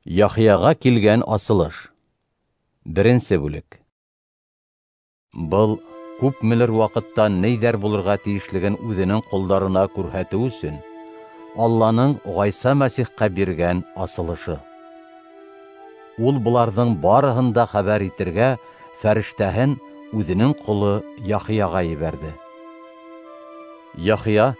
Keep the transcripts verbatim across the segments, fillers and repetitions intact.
Яхияға килгән асылыш. Беренсе бүлек. Был күпмелер ваҡытта ниҙәр булырға тейешлеген үҙенең ҡолдарына күрһәтеү өсөн Алланың Ғайса Мәсихҡа биргән асылышы. Ул быларҙың барыһын да хәбәр итергә фәрештәһен үҙенең ҡоло Яхияға ебәрҙе. Яхия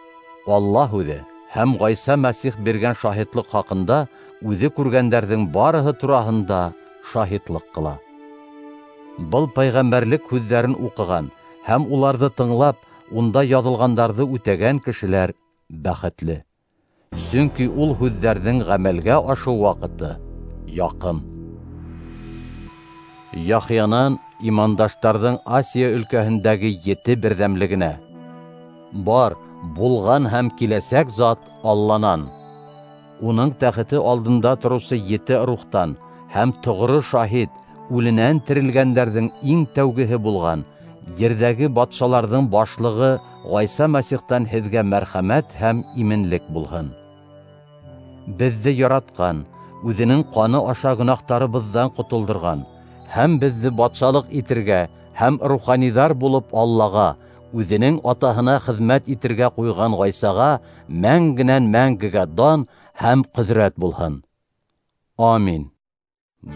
Алла һүҙе һәм Ғайса Мәсих биргән шаһитлыҡ хаҡында үҙе күргәндәрҙең барыһы тураһында шаһитлыҡ ҡыла. Был пәйғәмбәрлек һүҙҙәрен уҡыған һәм уларҙы тыңлап, унда яҙылғандарҙы үтәгән кешеләр бәхетле. Сөнки ул һүҙҙәрҙең ғәмәлгә ашыу ваҡыты яҡын. Яхиянан имандаштарҙың Асия өлкәһендәге ете берҙәмлегенә: бар, булған һәм киләсәк зат Алланан, уның тәхете алдында тороусы ете рухтан һәм тоғро шаһит, үленән терелгәндәрҙең иң тәүгеһе булған, ерҙәге батшаларҙың башлығы Ғайса Мәсихтән һеҙгә мәрхәмәт һәм именлек булһын. Беҙҙе яратҡан, үҙенең ҡаны аша гөнаһтарыбыҙҙан ҡотолдорған һәм беҙҙе батшалыҡ итергә һәм руханиҙар булып Аллаға, үҙенең атаһына хеҙмәт итергә ҡуйған Ғайсаға мәңгенән мәңгегә дан һәм ҡөҙрәт булһын. Амин.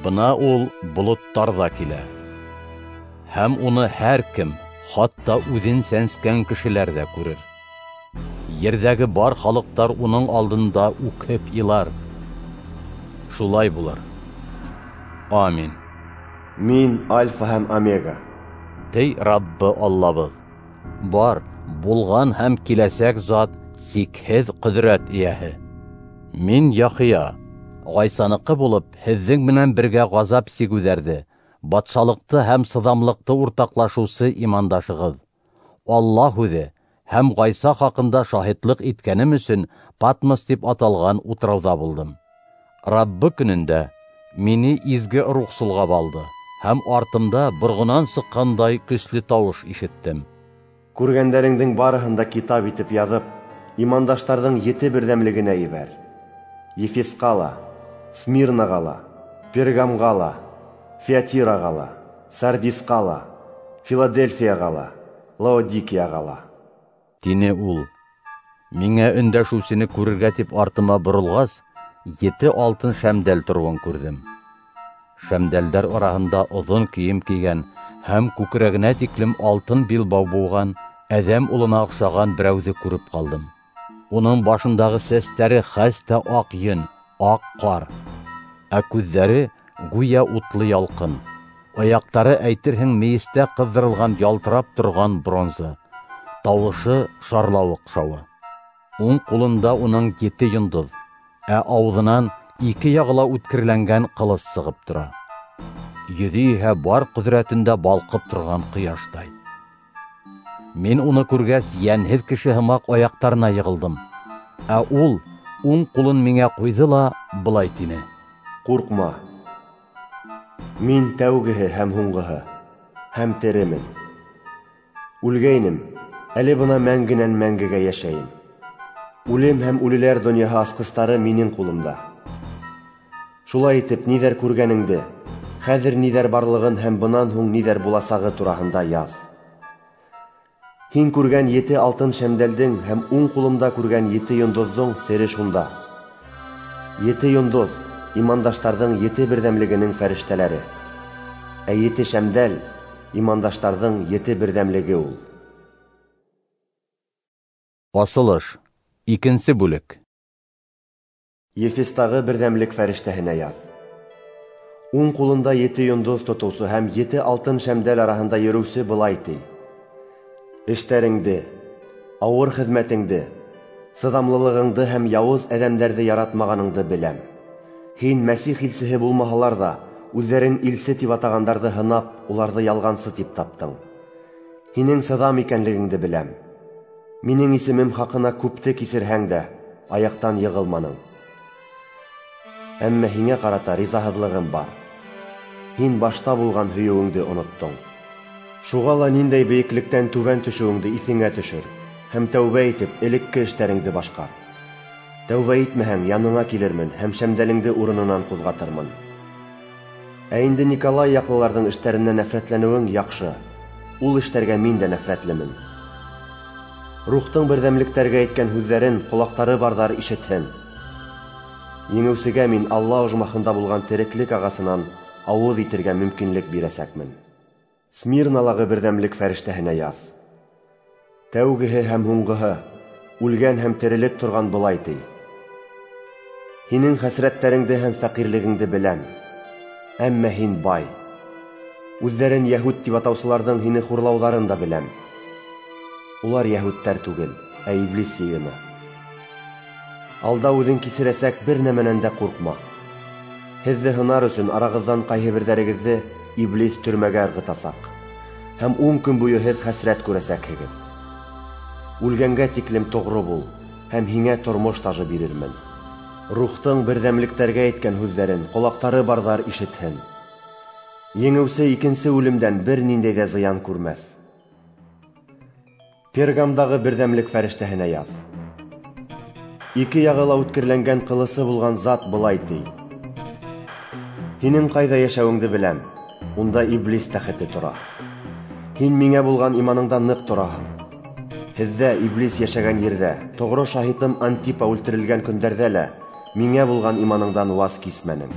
Бына ул болоттарҙа килә. Һәм уны һәр кем, хатта үҙен сәнскән кешеләр ҙә күрер. Ерҙәге бар халыҡтар уның алдында үкһеп илар. Шулай булыр. Амин. Мин Альфа һәм Омега, ти Раббы Аллабыҙ. Бар, булған һәм киләсәк зат, сикһеҙ ҡөҙрәт эйәһе. Мин Яхия, Ғайсаныҡы булып, һеҙҙең менән бергә ғазап сигеүҙәрҙе, батшалыҡты һәм сыҙамлыҡты уртаҡлашыусы имандашығыҙ. Алла һүҙе һәм Ғайса хаҡында шаһитлыҡ иткәнем өсөн Патмос тип аталған утрауҙа булдым. Раббы көнөндә мине изге рух солғап алды, һәм артымда борғонан сыҡҡандай көслө тауыш ишеттем. Күргәндәреңдең барыһын да китап итеп яҙып, имандаштарҙың ете берҙәмлегенә ебәр. Ефесҡа ла, Смирнаға ла, Пергамға ла, Фиатираға ла, Сардисҡа ла, Филадельфияға ла, Лаодикияға ла. Тине ул. Миңә өндәшеүсене күрергә тип артыма боролғас, ете алтын шәмдәл тороуын күрҙем. Шәмдәлдәр араһында оҙон кейем кейгән һәм күкрәгенә тиклем алтын билбау быуған әҙәм улына оҡшаған берәүҙе күреп ҡалдым. Уның башындағы сәстәре хәстә аҡ йөн, аҡ ҡар, ә күҙҙәре гүйә утлы ялҡын. Аяҡтары әйтерһең мейестә ҡыҙҙырылған ялтырап торған бронза. Тауышы шарлауыҡ шауы. Уң ҡулында уның ете йондоҙ, ә ауыҙынан ике яғы ла үткерләнгән ҡылыс сығып тора. Йөҙө иһә бар ҡөҙрәтендә балҡып торған ҡояштай. Мин уны күргәс, йәнһеҙ кеше һымаҡ аяҡтарына йығылдым. Ә ул уң ҡулын миңә ҡуйҙы ла былай тине: Ҡурҡма. Мин тәүгеһе һәм һуңғыһы, һәм теремен. Үлгәйнем, әле бына мәңгенән мәңгегә йәшәйем. Үлем һәм үлеләр донъяһы асҡыстары минең ҡулымда. Шулай итеп, ниҙәр күргәнеңде, хәҙер ниҙәр барлығын һәм бынан һуң ниҙәр буласағы тураһында яҙ. Һин күргән ете алтын шәмдәлдең һәм уң ҡулымда күргән ете йондоҙҙоң сере шунда. Ете йондоҙ имандаштарҙың ете берҙәмлегенең фәрештәләре, ә ете шәмдәл имандаштарҙың ете берҙәмлеге ул. Асылыш. Икенсе бүлек. Ефестағы берҙәмлек фәрештәһенә яҙ. Уң ҡулында ете йондоҙ тотоусы һәм ете алтын шәмдәл араһында йөрөүсе былай ти: Эштәреңде, ауыр хеҙмәтеңде, сыҙамлылығыңды һәм яуыз әҙәмдәрҙе яратмағаныңды беләм. Һин Мәсих илсеһе булмаһалар ҙа, үҙҙәрен илсе тип атағандарҙы һынап, уларҙы ялғансы тип таптың. Һинең сыҙам икәнлегеңде беләм. Минең исемем хаҡына күпте кисерһәң дә, аяҡтан йығылманың. Әммә һиңә ҡарата ризаһыҙлығым бар. Һин башта булған һөйөүеңде оноттоң. Шуға ла ниндәй бейеклектән түбән төшөүеңде иҫеңә төшөр һәм тәүбә итеп элекке эштәреңде башҡар. Тәүбә итмәһәң, яныңа килермен һәм шәмдәлеңде урынынан ҡуҙғатырмын. Ә инде Николай яҡлыларҙың эштәренән нәфрәтләнеүең яҡшы. Ул эштәргә мин дә нәфрәтлемен. Рухтың берҙәмлектәргә әйткән һүҙҙәрен ҡолаҡтары барҙар ишетһен. Еңеүсегә мин Алла ожмахында булған тереклек ағасынан ауыҙ итергә мөмкинлек бирәсәкмен. Смирналағы берҙәмлек фәрештәһенә яҙ. Тәүгеһе һәм һуңғыһы, үлгән һәм терелеп торған былай ти: Һинең хәсрәттәреңде һәм фәҡирлегеңде беләм, әммә һин бай. Үҙҙәрен йәһүд тип атаусыларҙың һине хурлауҙарын да беләм. Улар йәһүдтәр түгел, ә иблис йыйыны. Алда үҙең кисерәсәк бер нәмәнән дә ҡурҡма. Һеҙҙе һынар өсөн арағыҙҙан ҡайһы берҙәрегеҙҙе иблис төрмәгә ырғытасаҡ, һәм ун көн буйы һеҙ хәсрәт күрәсәкһегеҙ. Үлгәнгә тиклем тоғро бул, һәм һиңә тормош тажы бирермен. Рухтың берҙәмлектәргә әйткән һүҙҙәрен ҡолаҡтары барҙар ишетһен. Еңеүсе икенсе үлемдән бер ниндәй ҙә зыян күрмәҫ. Пергамдағы берҙәмлек фәрештәһенә яҙ. Ике яғы ла үткерләнгән ҡылысы булған зат былай ти: Һинең ҡайҙа йәшәүеңде беләм, унда иблис тәхете тора. Һин миңә булған иманыңда ныҡ тораһың. Һеҙҙә иблис йәшәгән ерҙә, тоғро шаһитым Антипа үлтерелгән көндәрҙә лә миңә булған иманыңдан ваз кисмәнең.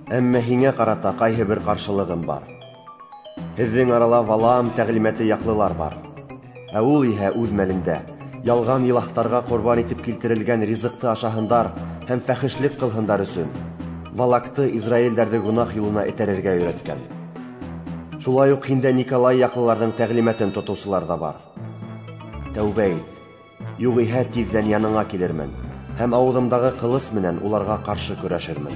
Әммә һиңә ҡарата ҡайһы бер ҡаршылығым бар. Һеҙҙең арала Валаам тәғлимәте яҡлылар бар. Ә ул иһә үҙ мәлендә ялған илаһтарға ҡорбан итеп килтерелгән ризыҡты ашаһындар һәм фәхешлек ҡылһындар өсөн Валакты израилдәрҙе гонаһ юлына этәрергә өйрәткән. Шулай уҡ һиндә Николай яҡлыларҙың тәғлимәтен тотоусылар ҙа бар. Тәүбә ит, юғиһә тиҙҙән яныңа килермен һәм ауыҙымдағы ҡылыс менән уларға ҡаршы көрәшермен.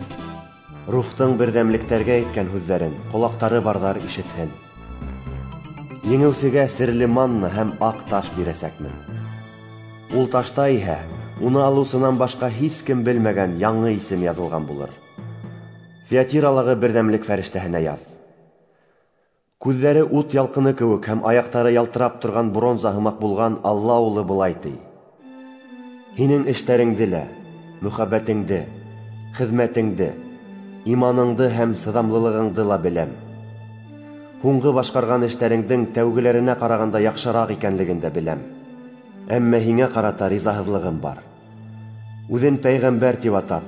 Рухтың берҙәмлектәргә әйткән һүҙҙәрен ҡолаҡтары барҙар ишетһен. Еңеүсегә серле манна һәм аҡ таш бирәсәкмен. Ул ташта иһә уны алыусынан башҡа һис кем белмәгән яңы исем яҙылған булыр. Фиатиралағы берҙәмлек фәрештәһенә яҙ. Күҙҙәре ут ялҡыны кеүек һәм аяҡтары ялтырап торған бронза һымаҡ булған Алла улы былай ти: Һинең эштәреңде лә, мөхәббәтеңде, хеҙмәтеңде, иманыңды һәм сыҙамлылығыңды ла беләм. Һуңғы башҡарған эштәреңдең тәүгеләренә ҡарағанда яҡшыраҡ икәнлеген дә беләм. Әммә һиңә ҡарата ризаһыҙлығым бар. Үҙен пәйғәмбәр тип атап,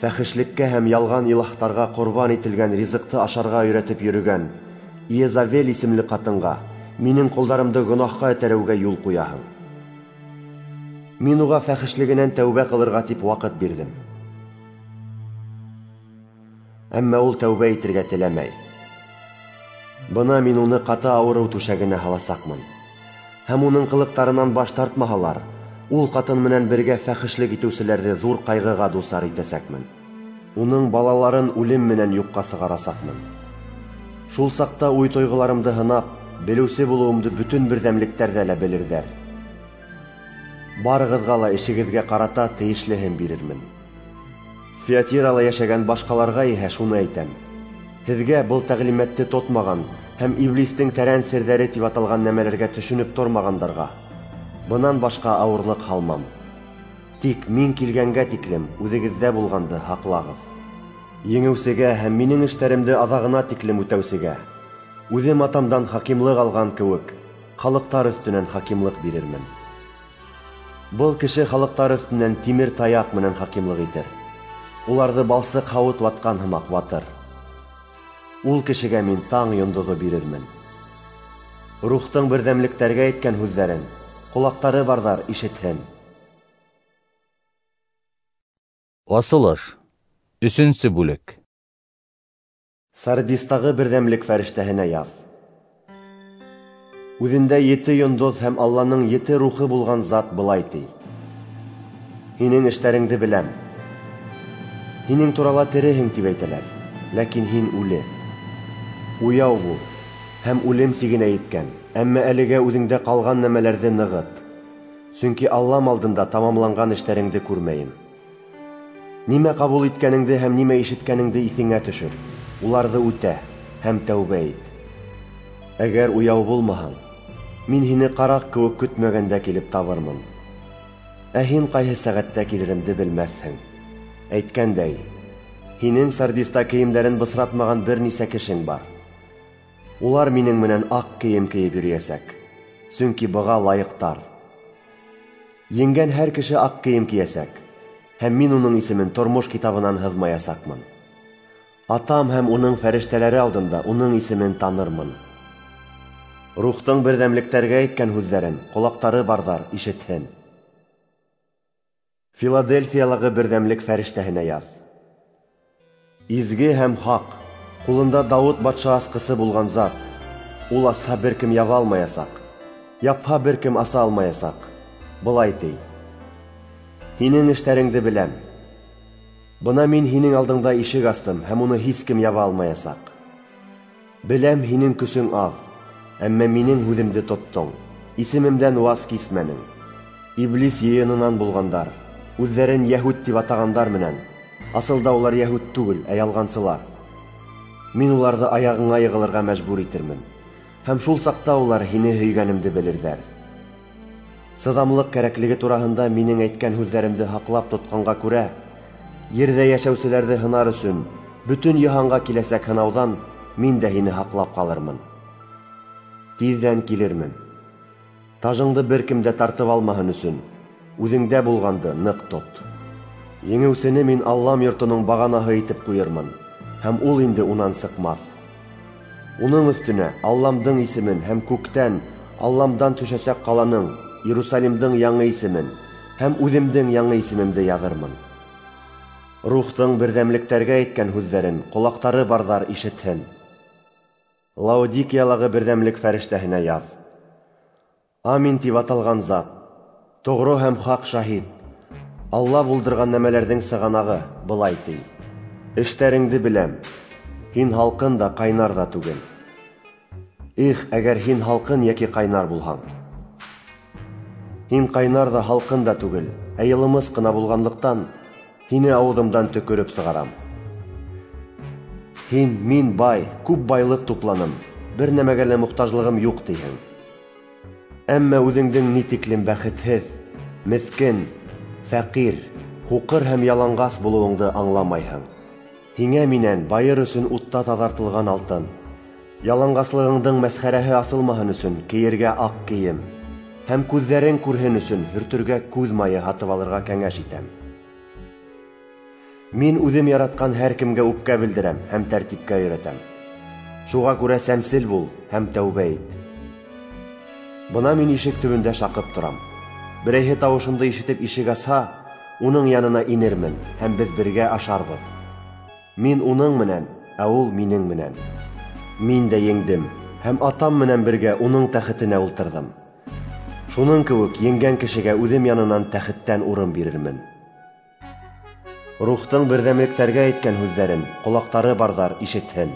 фәхешлеккә һәм ялған илаһтарға ҡорбан ителгән ризыҡты ашарға өйрәтеп йөрөгән Иезавел исемле ҡатынға минең ҡолдарымды гонаһҡа этәреүгә юл ҡуяһың. Мин уға фәхешлегенән тәүбә ҡылырға тип ваҡыт бирҙем. Әммә ул тәүбә итергә теләмәй. Бына мин уны ҡаты ауырыу түшәгенә һаласаҡмын. Һәм уның ҡылыҡтарынан баш тартмаһалар, ул ҡатын менән бергә фәхешлек итеүселәрҙе ҙур ҡайғыға дусар итәсәкмен. Уның балаларын үлем менән юҡҡа сығарасаҡмын. Шул саҡта уй тойғоларымды һынап, белеүсе булыуымды бөтөн берҙәмлектәрҙә лә белерҙәр. Барығыҙға ла эшегеҙгә ҡарата тейешлеһен бирермен. Фиатирала йәшәгән башҡаларға иһә шуны әйтәм: һеҙгә был тәғлимәтте тотмаған һәм иблистең тәрән серҙәре тип аталған нәмәләргә төшөнөп тормағандарға бынан башҡа ауырлыҡ һалмам. Тик мин килгәнгә тиклем үҙегеҙҙә булғанды һаҡлағыҙ. Еңеүсегә һәм минең эштәремде аҙағына тиклем үтәүсегә үҙем атамдан хакимлыҡ алған кеүек халыҡтар өҫтөнән хакимлыҡ бирермен. Был кеше халыҡтар өҫтөнән тимер таяҡ менән хакимлыҡ итер. Уларҙы балсыҡ һауыт ватҡан һымаҡ ватыр. Ул кешегә мин таң йондоҙо бирермен. Рухтың берҙәмлектәргә әйткән һүҙҙәрен ҡолаҡтары барҙар ишетһен. Асылыш. Өсөнсө бүлек. Сардистағы берҙәмлек фәрештәһенә яҙ. Үҙендә ете йондоҙ һәм Алланың ете рухы булған зат былай ти: Һинең эштәреңде беләм. Һинең турала тереһең тип әйтәләр, ләкин һин үле. Уяу бул һәм үлем сигенә еткән, әммә әлегә үҙеңдә ҡалған нәмәләрҙе нығыт. Сөнки Аллам алдында тамамланған эштәреңде күрмәйем. Нимә ҡабул иткәнеңде һәм нимә ишеткәнеңде иҫеңә төшөр, уларҙы үтә һәм тәүбә ит. Әгәр уяу булмаһаң, мин һине ҡараҡ кеүек көтмәгәндә килеп табырмын. Ә һин ҡайһы сәғәттә килеремде белмәҫһең. Әйткәндәй, һинең Сардиста кейемдәрен бысратмаған бер нисә кешең бар. Улар минең менән аҡ кейем кейеп йөрөйәсәк, сөнки быға лайыҡтар. Еңгән һәр кеше аҡ кейем кейәсәк, һәм мин уның исемен тормош китабынан һыҙмаясаҡмын. Атам һәм уның фәрештәләре алдында уның исемен танырмын. Рухтың берҙәмлектәргә әйткән һүҙҙәрен ҡолаҡтары барҙар ишетһен. Филадельфиялағы берҙәмлек фәрештәһенә яҙ. Изге һәм хаҡ, ҡулында Дауыт батша асҡысы булған зат, ул асһа бер кем яба алмаясаҡ, япһа бер кем аса алмаясаҡ. Былай ти: Һинең эштәреңде беләм. Бына мин һинең алдыңда ишек астым, һәм уны һис кем яба алмаясаҡ. Беләм, һинең көсөң аҙ, әммә минең һүҙемде тоттоң, исемемдән ваз кисмәнең. Иблис йыйынынан булғандар, үҙҙәрен йәһүд тип атағандар менән, асылда улар йәһүд түгел, ә ялғансылар. Мин уларҙы аяғыңа йығылырға мәжбүр итермен, һәм шул саҡта улар һине һөйгәнемде белерҙәр. Сыҙамлыҡ кәрәклеге тураһында минең әйткән һүҙҙәремде һаҡлап тотҡанға күрә, ерҙә йәшәүселәрҙе һынар өсөн бөтөн йыһанға киләсәк һынауҙан мин дә һине һаҡлап ҡалырмын. Тиҙҙән килермен. Тажыңды бер кем дә тартып алмаһын өсөн, үҙеңдә булғанды ныҡ тот. Еңеүсене мин Аллам йортоноң бағанаһы итеп ҡуйырмын, һәм ул инде унан сыҡмаҫ. Уның өҫтөнә Алламдың исемен һәм күктән Алламдан төшәсәк ҡаланың, Иерусалимдың яңы исемен һәм үҙемдең яңы исемемде яҙырмын. Рухтың берҙәмлектәргә әйткән һүҙҙәрен ҡолаҡтары барҙар ишетһен. Лаодикиялағы берҙәмлек фәрештәһенә яҙ. Амин тип аталған зат, тоғро һәм хаҡ шаһит, Алла булдырған нәмәләрҙең сығанағы, былай ти: Эштәреңде беләм, һин һалҡын да, ҡайнар ҙа түгел. Их, әгәр һин һалҡын йәки ҡайнар булһаң! Һин ҡайнар ҙа, һалҡын да түгел, ә йылымыс ҡына булғанлыҡтан, һине ауыҙымдан төкөрөп сығарам. Һин, мин бай, күп байлыҡ тупланым, бер нәмәгә лә мохтажлығым юҡ тиһең. Әммә үҙеңдең ни тиклем бәхетһеҙ, меҫкен, фәҡир, һуҡыр һәм яланғас булыуыңды аңламайһың. Һиңә минән байыр өсөн утта таҙартылған алтын, яланғаслығыңдың мәсхәрәһе асылмаһын өсөн кейергә аҡ кейем, һәм күҙҙәрең күрһен өсөн һөртөргә күҙ майы һатып алырға кәңәш итәм. Мин үҙем яратҡан һәр кемгә үпкә белдерәм һәм тәртипкә өйрәтәм. Шуға күрә сәмсел бул һәм тәүбә ит. Бына мин ишек төбөндә шаҡып торам. Берәйһе тауышымды ишетеп ишек асһа, уның янына инермен һәм беҙ бергә ашарбыҙ. Мин уның менән, ә ул минең менән. Мин дә еңдем һәм атам менән бергә уның тәхетенә ултырҙым. Шуның кеүек еңгән кешегә үҙем янынан тәхеттән урын бирермен. Рухтың берҙәмлектәргә әйткән һүҙҙәрен ҡолаҡтары барҙар ишетһен.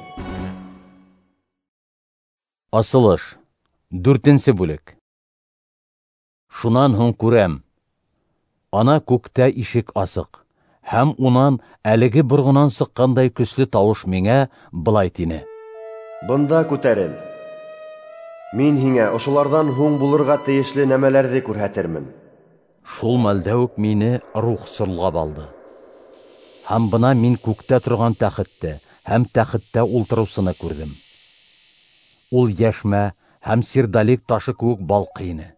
Асылыш, дүртенсе бүлек. Шунан һуң күрәм, ана күктә ишек асыҡ, һәм унан әлеге борғонан сыҡҡандай көслө тауыш миңә былай тине: Бында күтәрел. Мин һиңә ошоларҙан һуң булырға тейешле нәмәләрҙе күрһәтермен. Шул мәлдә үк мине рух сорғап алды. Һәм бына мин күктә торған тәхетте һәм тәхеттә ултырыусыны күрҙем. Ул йәшмә һәм сердолик ташы кеүек балҡый ине.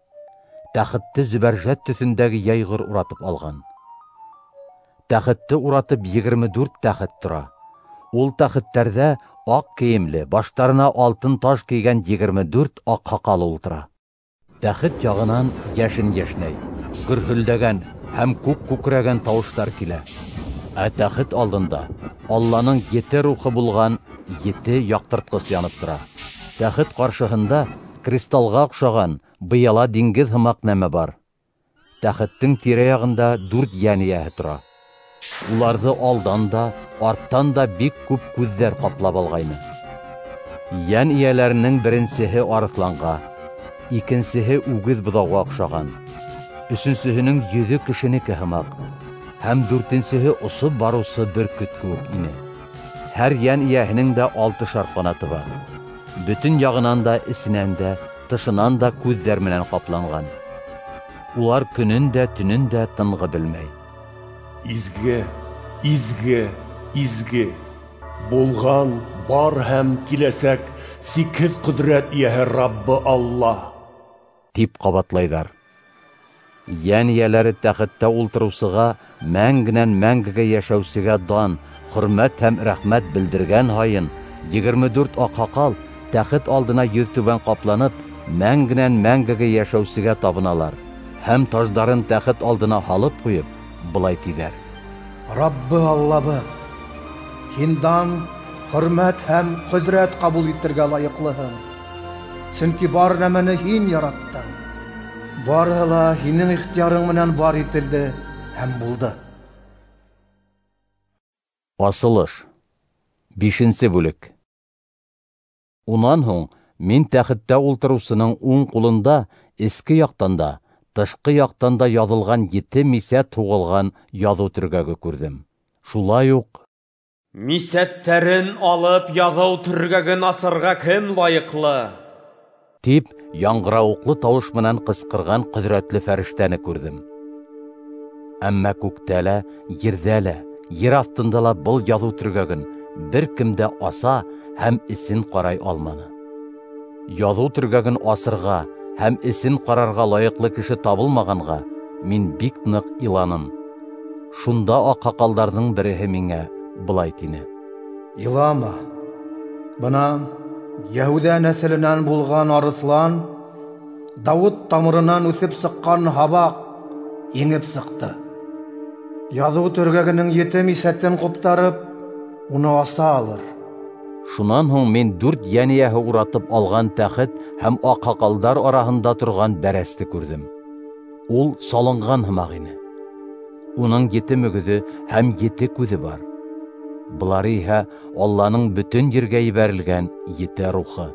Тәхетте зөбәржәт төҫөндәге йәйғор уратып алған. Тәхетте уратып егерме дүрт тәхет тора. Ул тәхеттәрҙә аҡ кейемле, баштарына алтын таш кейгән егерме дүрт аҡ һаҡал ултыра. Тәхет яғынан йәшен йәшнәй, гөрһөлдәгән һәм күк күкрәгән тауыштар килә. Ә тәхет алдында Алланың ете рухы булған ете яҡтыртҡыс янып тора. Тәхет ҡаршыһында кристалға оҡшаған быяла диңгеҙ һымаҡ нәмә бар. Тәхеттең тирә-яғында дүрт йән эйәһе тора. Уларҙы алдан да, арттан да бик күп күҙҙәр ҡаплап алғайны. Йән эйәләренең беренсеһе арыҫланға, икенсеһе үгеҙ быҙауға оҡшаған, өсөнсөһөнөң йөҙө кешенеке һымаҡ, һәм дүртенсеһе осоп барыусы бөркөт кеүек ине. Һәр йән эйәһенең дә алтышар ҡанаты бар. Бөтөн яғынан да, эсенән дә, тышынан да күҙҙәр менән ҡапланған. Улар көнөн дә, төнөн дә тынғы белмәй. Изге, изге, изге, булған, бар һәм киләсәк сикһеҙ ҡөҙрәт эйәһе Раббы Алла, тип ҡабатлайҙар. Йән эйәләре тәхеттә ултырыусыға, мәңгенән мәңгегә йәшәүсегә дан, хөрмәт һәм рәхмәт белдергән һайын, егерме дүрт аҡһаҡал тәхет алдына йөҙтүбән ҡапланып, мәңгенән мәңгегә йәшәүсегә табыналар һәм таждарын тәхет алдына һалып ҡуйып, былай тиҙәр: Раббы Аллабыҙ, һин дан, хөрмәт һәм ҡөҙрәт ҡабул итергә лайыҡлыһың, сөнки бар нәмәне һин яраттың. Барыһы ла һинең ихтыярың менән бар ителде һәм булды. Асылыш. Бишенсе бүлек. Унан һуң мин тәхеттә ултырыусының уң ҡулында эске яҡтан да, тышҡы яҡтан да яҙылған ете мисәт һуғылған яҙыу төргәге күрҙем. Шулай уҡ мисәттәрен алып яҙыу төргәген асырға кем лайыҡлы? Тип яңғырауыҡлы тауыш менән ҡысҡырған ҡөҙрәтле фәрештәне күрҙем. Әммә күктә лә, ерҙә лә, ер аҫтында ла был яҙыу төргәген бер кем дә аса һәм эсен ҡарай алманы. Яҙыу төргәген асырға һәм эсен ҡарарға лайыҡлы кеше табылмағанға мин бик ныҡ иланым. Шунда аҡһаҡалдарҙың береһе миңә былай тине: Илама, бына Йәһүҙә нәҫеленән булған арыҫлан, Дауыт тамырынан үҫеп сыҡҡан һабаҡ еңеп сыҡты. Яҙыу төргәгенең ете мисәтен ҡуптарып, уны аса алыр. Шунан һуң мин дүрт йән эйәһе уратып алған тәхет һәм аҡһаҡалдар араһында торған бәрәсте күрҙем. Ул салынған һымаҡ ине. Уның ете мөгөҙө һәм ете күҙе бар. Былар иһә Алланың бөтөн ергә ебәрелгән ете рухы.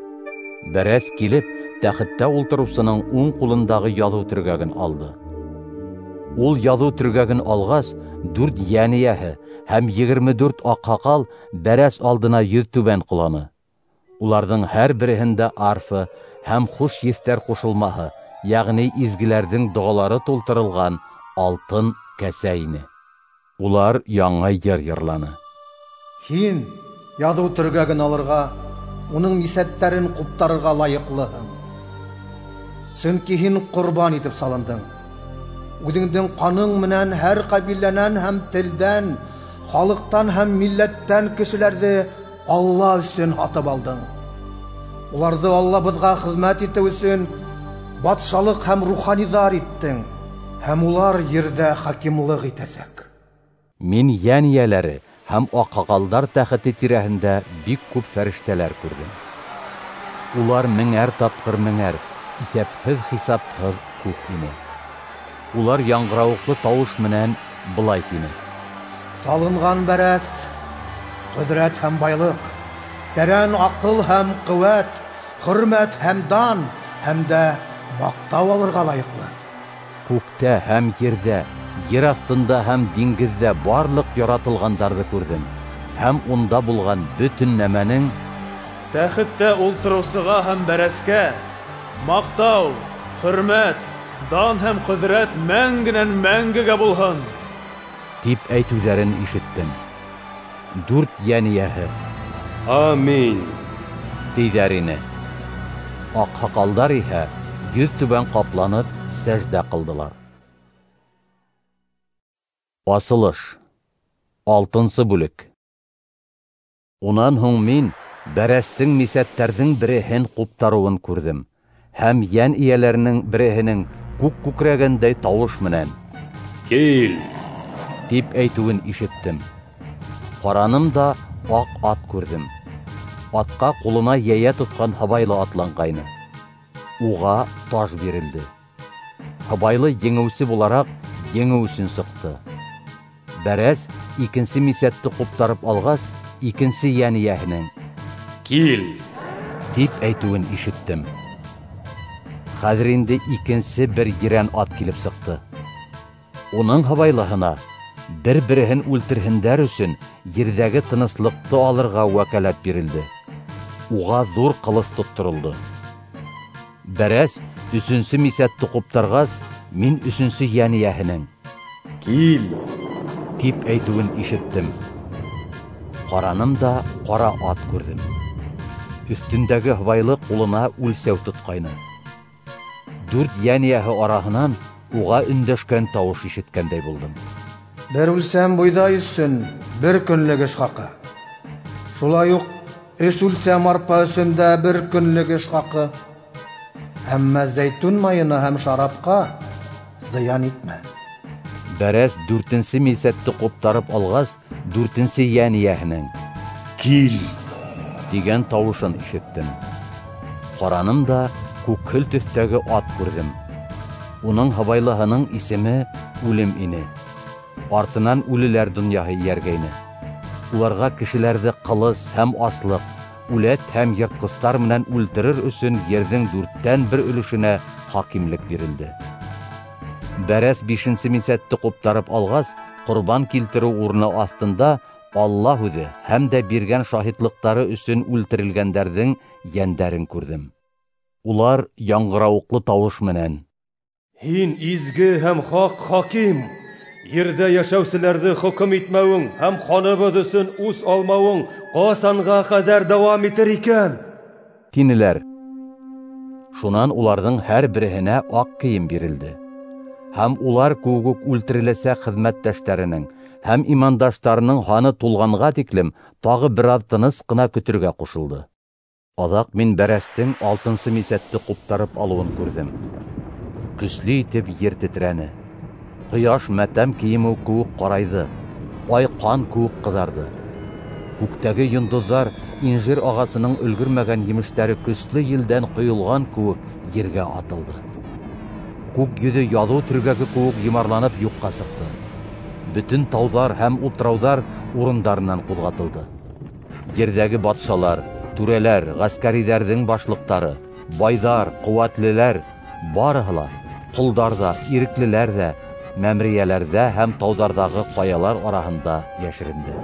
Бәрәс килеп, тәхеттә ултырыусының уң ҡулындағы яҙыу төргәген алды. Ул яҙыу төргәген алғас, дүрт йән эйәһе һәм егерме дүрт аҡһаҡал бәрәс алдына йөҙтүбән ҡоланы. Уларҙың һәр береһендә арфа һәм хуш еҫтәр ҡушылмаһы, йәғни изгеләрҙең доғалары тултырылған алтын кәсә ине. Улар яңы йыр йырланы. Һин яҙыу төргәген алырға, уның мисәттәрен ҡуптарырға лайыҡлыһың. Сөнки һин ҡорбан итеп салындың. Үҙеңдең ҡаның менән һәр ҡәбиләнән һәм телдән, халыҡтан һәм милләттән кешеләрҙе Алла өсөн һатып алдың. Уларҙы Аллабыҙға хеҙмәт итеү өсөн батшалыҡ һәм руханиҙар иттең, һәм улар ерҙә хакимлыҡ итәсәк. Мин йән эйәләре һәм аҡһаҡалдар тәхете тирәһендә бик күп фәрештәләр күрҙем. Улар меңәр тапҡыр меңәр, иҫәпһеҙ-хисапһыҙ күп ине. Улар яңғырауыҡлы тауыш менән былай тине: Салынған бәрәс, ҡөҙрәт һәм байлыҡ, тәрән аҡыл һәм ҡеүәт, хөрмәт һәм дан һәм дә маҡтау алырға лайыҡлы. Күктә һәм ерҙә, ер аҫтында һәм диңгеҙҙә барлыҡ яратылғандарҙы күрҙем, һәм унда булған бөтөн нәмәнең тәхеттә ултырыусыға һәм бәрәскә маҡтау, хөрмәт, дан һәм ҡөҙрәт мәңгенән мәңгегә булһын, тип әйтеүҙәрен ишеттем. Дүрт йән эйәһе Амин тиҙәр ине. Аҡһаҡалдар иһә йөҙтүбән ҡапланып сәждә ҡылдылар. Асылыш. Алтынсы бүлек. Унан һуң мин бәрәстең мисәттәрҙең береһен ҡуптарыуын күрҙем, һәм йән эйәләренең береһенең күк күкрәгәндәй тауыш менән «Кил!» тип әйтеүен ишеттем. Ҡараным да аҡ ат күрҙем. Атҡа ҡулына йәйә тотҡан һыбайлы атланғайны. Уға таж бирелде. Һыбайлы еңеүсе булараҡ еңеү өсөн сыҡты. Бәрәс икенсе мисәтте ҡуптарып алғас, икенсе йән эйәһенең «Кил!» тип әйтеүен ишеттем. Хәҙер инде икенсе бер ерән ат килеп сыҡты. Уның һыбайлыһына бер-береһен үлтерһендәр өсөн ерҙәге тыныслыҡты алырға вәкәләт бирелде. Уға ҙур ҡылыс тотторолдо. Бәрәс Өсөнсө мисәтте ҡуптарғас, мин өсөнсө йән эйәһенең: «Кил!» тип әйтеүен ишеттем. Ҡараным да ҡара ат күрҙем. Өҫтөндәге һыбайлы ҡулына үлсәү тотҡайны. Дүрт йән эйәһе араһынан уға өндәшкән тауыш ишеткәндәй булдым. Бер үлсәм бойҙай өсөн бер көнлөк эш хаҡы. Шулай уҡ өс үлсәм арпа өсөн дә бер көнлөк эш хаҡы. Әммә зәйтүн майына һәм шарапҡа зыян итмә. Бәрәс дүртенсе мисәтте ҡуптарып алғас, дүртенсе йән эйәһенең: «Кил!» тигән тауышын ишеттем. Ҡараным да күкһел төҫтәге ат күрҙем. Уның һыбайлыһының исеме Үлем ине. Артынан үлеләр донъяһы эйәргәйне. Уларға кешеләрҙе ҡылыс һәм аслыҡ, үләт һәм йыртҡыстар менән үлтерер өсөн ерҙең дүрттән бер өлөшөнә хакимлек бирелде. Бәрәс бишенсе мисәтте ҡуптарып алғас, ҡорбан килтереү урыны аҫтында Алла һүҙе һәм дә биргән шаһитлыҡтары өсөн үлтерелгәндәрҙең йәндәрен күрҙем. Улар яңғырауыҡлы тауыш менән: «Һин изге һәм хаҡ хаким, ерҙә йәшәүселәрҙе хөкөм итмәүең һәм ҡаныбыҙ өсөн үс алмауың ҡасанға ҡәҙәр дауам итер икән?» тинеләр. Шунан уларҙың һәр береһенә аҡ кейем бирелде. Һәм улар кеүек үк үлтереләсәк хеҙмәттәштәренең һәм имандаштарының һаны тулғанға тиклем тағы бер аҙ тыныс ҡына көтөргә ҡушылды. Аҙаҡ мин бәрәстең алтынсы мисәтте ҡуптарып алыуын күрҙем. Көслө итеп ер тетрәне. Ҡояш мәтәм кейеме кеүек ҡарайҙы, ай ҡан кеүек ҡыҙарҙы. Күктәге йондоҙҙар инжир ағасының өлгөрмәгән емештәре көслө елдән ҡойолған кеүек ергә атылды. Күк йөҙө яҙыу төргәге кеүек йомарланып юҡҡа сыҡты. Бөтөн тауҙар һәм утрауҙар урындарынан ҡуҙғатылды. Ерҙәге батшалар, түрәләр, ғәскәриҙәрҙең башлыҡтары, байҙар, ҡеүәтлеләр, барыһы ла, ҡолдар ҙа, иреклеләр ҙә, мәмерйәләрҙә һәм тауҙарҙағы ҡаялар араһында йәшеренде.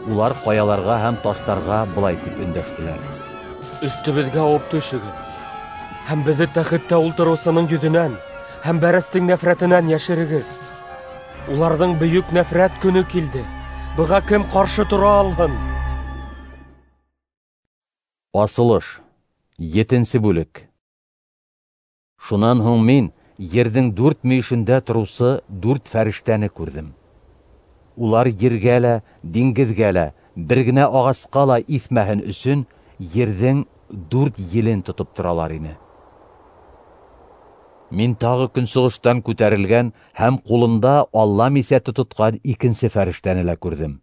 Улар ҡаяларға һәм таштарға былай тип өндәштеләр: «Өҫтөбөҙгә ауып төшөгөҙ һәм беҙҙе тәхеттә ултырыусының йөҙөнән һәм бәрәстең нәфрәтенән йәшерегеҙ. Уларҙың бөйөк нәфрәт көнө килде, быға кем ҡаршы тора алһын?» Асылыш, етенсе бүлек. Шунан һуң мин ерҙең дүрт мөйөшөндә тороусы дүрт фәрештәне күрҙем. Улар ергә лә, диңгеҙгә лә, бер генә ағасҡа ла иҫмәһен өсөн ерҙең дүрт елен тотоп торалар ине. Мин тағы көнсығыштан күтәрелгән һәм ҡулында Алла мисәте тотҡан икенсе фәрештәне лә күрҙем.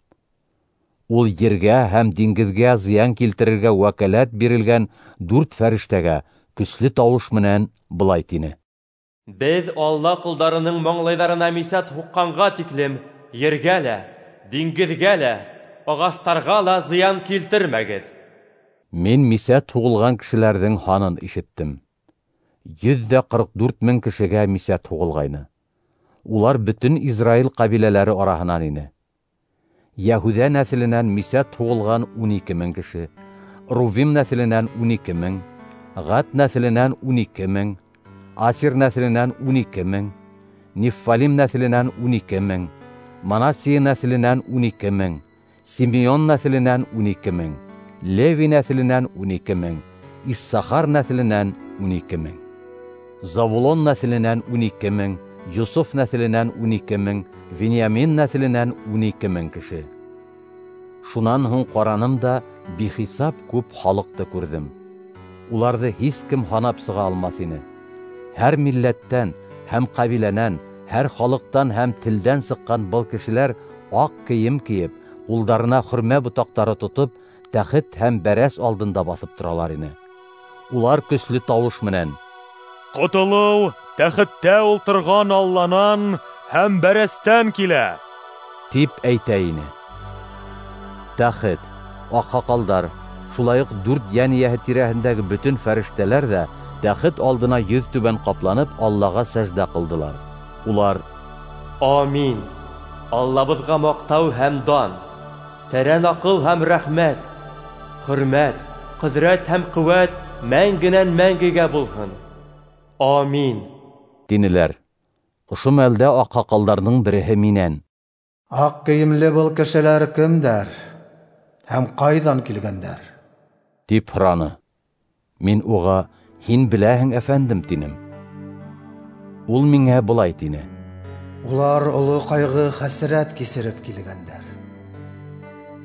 Ул ергә һәм диңгеҙгә зыян килтерергә вәкәләт бирелгән дүрт фәрештәгә көслө тауыш менән былай тине: «Беҙ Алла ҡолдарының маңлайҙарына мисәт һуҡҡанға тиклем ергә лә, диңгеҙгә лә, ағастарға ла зыян килтермәгеҙ». Мин мисәт һуғылған кешеләрҙең һанын ишеттем. Йөҙ ҙә ҡырҡ дүрт мең кешегә мисәт һуғылғайны. Улар бөтөн Израиль ҡәбиләләре араһынан ине. Йәһүҙә нәҫеленән мисәт һуғылған ун ике мең кеше, Рувим нәҫеленән ун ике мең, Ғәд нәҫеленән ун ике мең, Асир нәҫеленән ун ике мең, Неффалим нәҫеленән ун ике мең, Манасия нәҫеленән ун ике мең, Симеон нәҫеленән ун ике мең, Леви нәҫеленән ун ике мең, Иссахар нәҫеленән ун ике мең, Завулон нәҫеленән ун ике мең, Йософ нәҫеленән ун ике мең, Вениамин нәҫеленән ун ике мең кеше. Шунан һуң ҡараным да бихисап күп халыҡты күрҙем. Уларҙы һис кем һанап сыға алмаҫ ине. Һәр милләттән һәм ҡәбиләнән, һәр халыҡтан һәм телдән сыҡҡан был кешеләр аҡ кейем кейеп, ҡулдарына хөрмә ботаҡтары тотоп, тәхет һәм бәрәс алдында баҫып торалар ине. Улар көслө тауыш менән: «Ҡотолоу тәхеттә ултырған Алланан һәм бәрәстән килә», тип әйтә ине. Тәхет, аҡһаҡалдар, шулай уҡ дүрт йән эйәһе тирәһендәге бөтөн фәрештәләр ҙә тәхет алдына йөҙ түбән ҡапланып Аллаға сәждә ҡылдылар. Улар: «Амин! Аллабыҙға маҡтау һәм дан, тәрән аҡыл һәм рәхмәт, хөрмәт, ҡөҙрәт һәм ҡеүәт мәңгенән мәңгегә булһын», Амин, тинеләр. Ошо мәлдә аҡһаҡалдарҙың береһе минән: Аҡ кейемле был кешеләр кемдәр һәм ҡайҙан килгәндәр? Тип һораны. Мин уға: Һин беләһең, әфәндем, тинем. Ул миңә былай тине: Улар оло ҡайғы хәсрәт кисереп килгәндәр.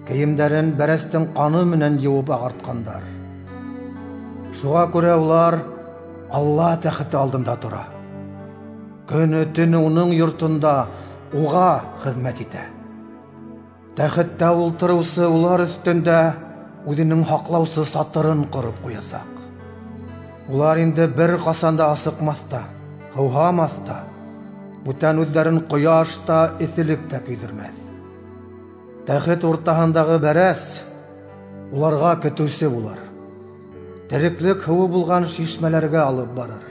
Кейемдәрен бәрәстең ҡаны менән йыуып ағартҡандар. Шуға күрә улар Алла тәхете алдында тора. Көнө-төнө уның йортонда уға хеҙмәт итә. Тәхеттә ултырыусы улар өҫтөндә үҙенең һаҡлаусы сатырын ҡороп ҡуясаҡ. Улар инде бер ҡасан да асыҡмаҫ та, һыуһамаҫ та, бүтән үҙҙәрен ҡояш та, эҫелек тә көйҙөрмәҫ. Тәхет уртаһындағы бәрәс уларға көтөүсе булыр. Тереклек һыуы булған шишмәләргә алып барыр.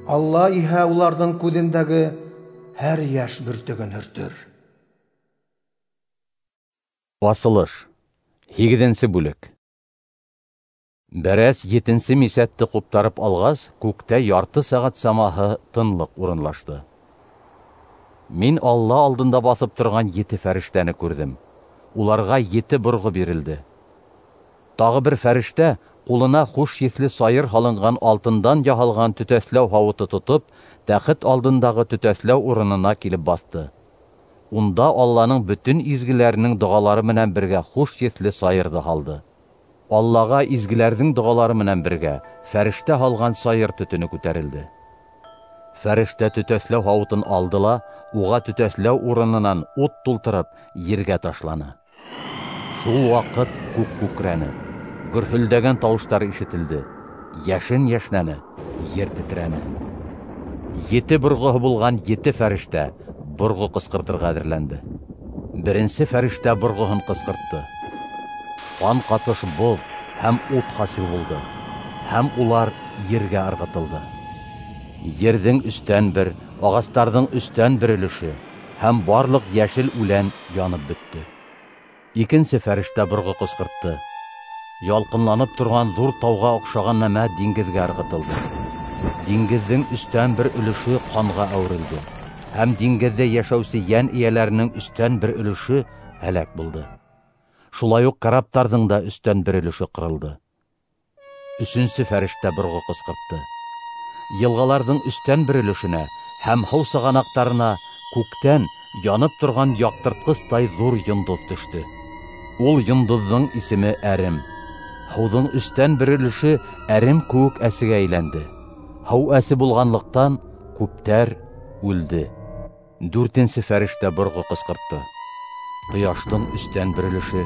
Алла иһә уларҙың күҙендәге һәр йәш бөртөгөн һөртөр. Асылыш. Һигеҙенсе бүлек. Бәрәс етенсе мисәтте ҡуптарып алғас, күктә ярты сәғәт самаһы тынлыҡ урынлашты. Мин Алла алдында баҫып торған ете фәрештәне күрҙем. Уларға ете борғо бирелде. Тағы бер фәрештә ҡулына хуш еҫле сайыр һалынған алтындан яһалған төтәҫләү һауыты тотоп, тәхет алдындағы төтәҫләү урынына килеп баҫты. Унда Алланың бөтөн изгеләренең доғалары менән бергә хуш еҫле сайырҙы һалды. Аллаға изгеләрҙең доғалары менән бергә фәрештә һалған сайыр төтөнө күтәрелде. Фәрештә төтәҫләү һауытын алды ла, уға төтәҫләү урынынан ут тултырып, ергә ташланы. Шул ваҡыт күк күкрәне, гөрһөлдәгән тауыштар ишетелде, йәшен йәшнәне, ер тетрәне. Ете борғоһо булған ете фәрештә борғо ҡысҡыртырға әҙерләнде. Беренсе фәрештә борғоһон ҡысҡыртты. Ҡан ҡатыш боҙ һәм ут хасил булды, һәм улар ергә ырғытылды. Ерҙең өстән бер, ағастарҙың өстән бер өлөшө һәм барлыҡ йәшел үлән янып бөттө. Икенсе фәрештә борғо ҡысҡыртты. Ялҡынланып торған ҙур тауға оҡшаған нәмә диңгеҙгә ырғытылды. Диңгеҙҙең өстән бер өлөшө ҡанға әүерелде, һәм диңгеҙҙә йәшәүсе йән эйәләренең өстән бер өлөшө һәләк булды. Шулай уҡ караптарҙың да өстән бер өлөшө ҡырылды. Өсөнсө фәрештә борғо ҡысҡыртты. Йылғаларҙың өстән бер өлөшөнә һәм һыу сығанаҡтарына күктән янып торған яҡтыртҡыстай ҙур йондоҙ төштө. Ул йондоҙҙоң исеме Әрем. Һыуҙың өстән бер өлөшө әрем кеүек әсегә әйләнде. Һыу әсе булғанлыҡтан күптәр үлде. Дүртенсе фәрештә борғо ҡысҡыртты. Ҡояштың өстән бер өлөшө,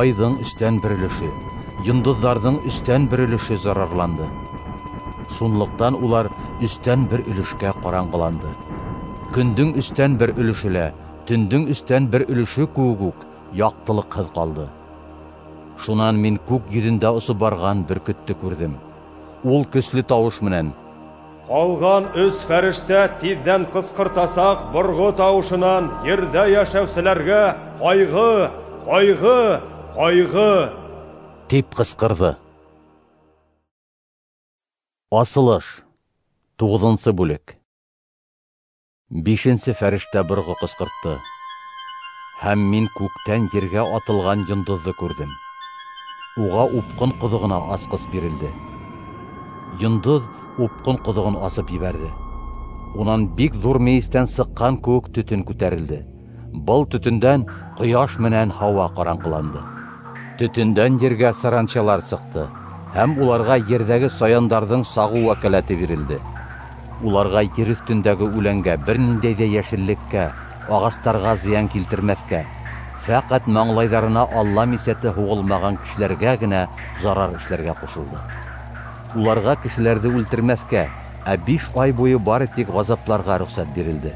айҙың өстән бер өлөшө, йондоҙҙарҙың өстән бер өлөшө зарарланды. Шунлыҡтан улар өстән бер өлөшкә ҡараңғыланды. Көндөң өстән бер өлөшө лә, төндөң өстән бер өлөшө кеүек үк яҡтылыҡһыҙ ҡалды. Шунан мин күк йөҙөндә осоп барған бөркөттө күрҙем. Ул көслө тауыш менән: Ҡалған өс фәрештә тиҙҙән ҡысҡыртасаҡ борғо тауышынан ерҙә йәшәүселәргә ҡайғы, ҡайғы, ҡайғы, тип ҡысҡырҙы. Асылыш. Туғыҙынсы бүлек. Бишенсе фәрештә борғо ҡысҡыртты. Һәм мин күктән ергә атылған йондоҙҙо күрҙем. Уға упҡын ҡоҙоғона асҡыс бирелде. Йондоҙ упҡын ҡоҙоғон асып ебәрҙе. Унан бик ҙур мейестән сыҡҡан кеүек төтөн күтәрелде. Был төтөндән ҡояш менән һауа ҡараңғыланды. Төтөндән ергә саранчалар сыҡты, һәм уларға ерҙәге саяндарҙың сағыу вәкәләте бирелде. Уларға ер өҫтөндәге үләнгә, бер ниндәй ҙә йәшеллеккә, ағастарға зыян килтермәҫкә, фәҡәт маңлайҙарына Алла мисәте һуғылмаған кешеләргә генә зарар эшләргә ҡушылды. Уларға кешеләрҙе үлтермәҫкә, ә биш ай буйы бары тик ғазапларға рөхсәт бирелде.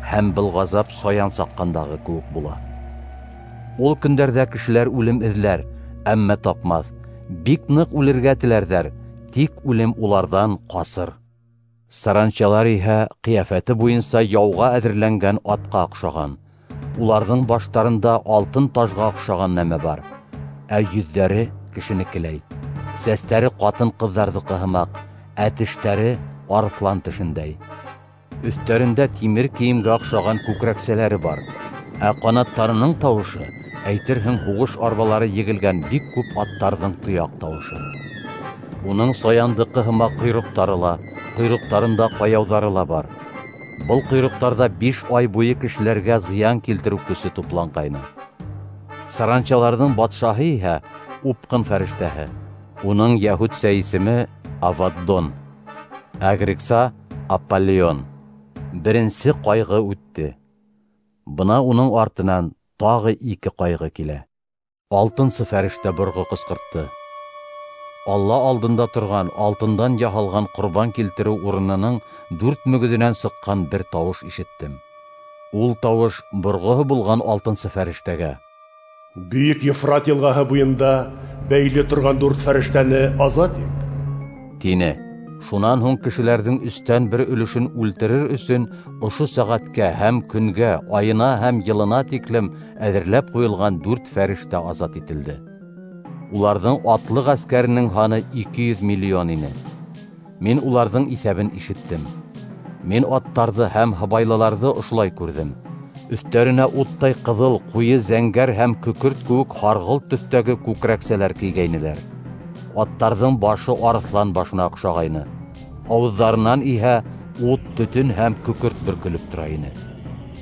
Һәм был ғазап саян саҡҡандағы кеүек була. Ул көндәрҙә кешеләр үлем эҙләр, әммә тапмаҫ. Бик ныҡ үлергә теләрҙәр, тик үлем уларҙан ҡасыр. Саранчалар иһә ҡиәфәте буйынса яуға әҙерләнгән атҡа оҡшаған. Уларҙың баштарында алтын тажға оҡшаған нәмә бар, ә йөҙҙәре кешенекеләй. Сәстәре ҡатын-ҡыҙҙарҙыҡы һымаҡ, ә тештәре арыҫлан тешендәй. Өҫтәрендә тимер кейемгә оҡшаған күкрәксәләре бар, ә ҡанаттарының тауышы әйтерһең һуғыш арбалары егелгән бик күп аттарҙың тояҡ тауышы. Уның саяндыҡы һымаҡ ҡойроҡтары ла, ҡойроҡтарында ҡаяуҙары ла бар. Был ҡойроҡтарҙа биш ай буйы кешеләргә зыян килтереү көсө тупланғайны. Саранчаларҙың батшаһы иһә упҡын фәрештәһе. Уның йәһүдсә исеме Аваддон, ә грекса Аполлион. Беренсе ҡайғы үтте. Бына уның артынан тағы ике ҡайғы килә. Алтынсы фәрештә борғо ҡысҡыртты. Алла алдында торған алтындан яһалған ҡорбан килтереү урынының дүрт мөгөҙөнән сыҡҡан бер тауыш ишеттем. Ул тауыш борғоһо булған алтынсы фәрештәгә: Бөйөк Ефрат йылғаһы буйында бәйле торған дүрт фәрештәне азат ит, тине. Шунан һуң кешеләрҙең өстән бер өлөшөн үлтерер өсөн ошо сәғәткә һәм көнгә, айына һәм йылына тиклем әҙерләп ҡуйылған дүрт фәрештә азат ителде. Уларҙың атлы ғәскәренең һаны ике йөҙ миллион ине. Мин уларҙың иҫәбен ишеттем. Мин аттарҙы һәм һыбайлыларҙы ошолай күрҙем. Өҫтәренә уттай ҡыҙыл, ҡуйы зәңгәр һәм көкөрт кеүек һарғылт төҫтәге күкрәксәләр кейгәйнеләр. Аттарҙың башы арыҫлан башына оҡшағайны. Ауыҙҙарынан иһә ут, төтөн һәм көкөрт бөркөлөп тора ине.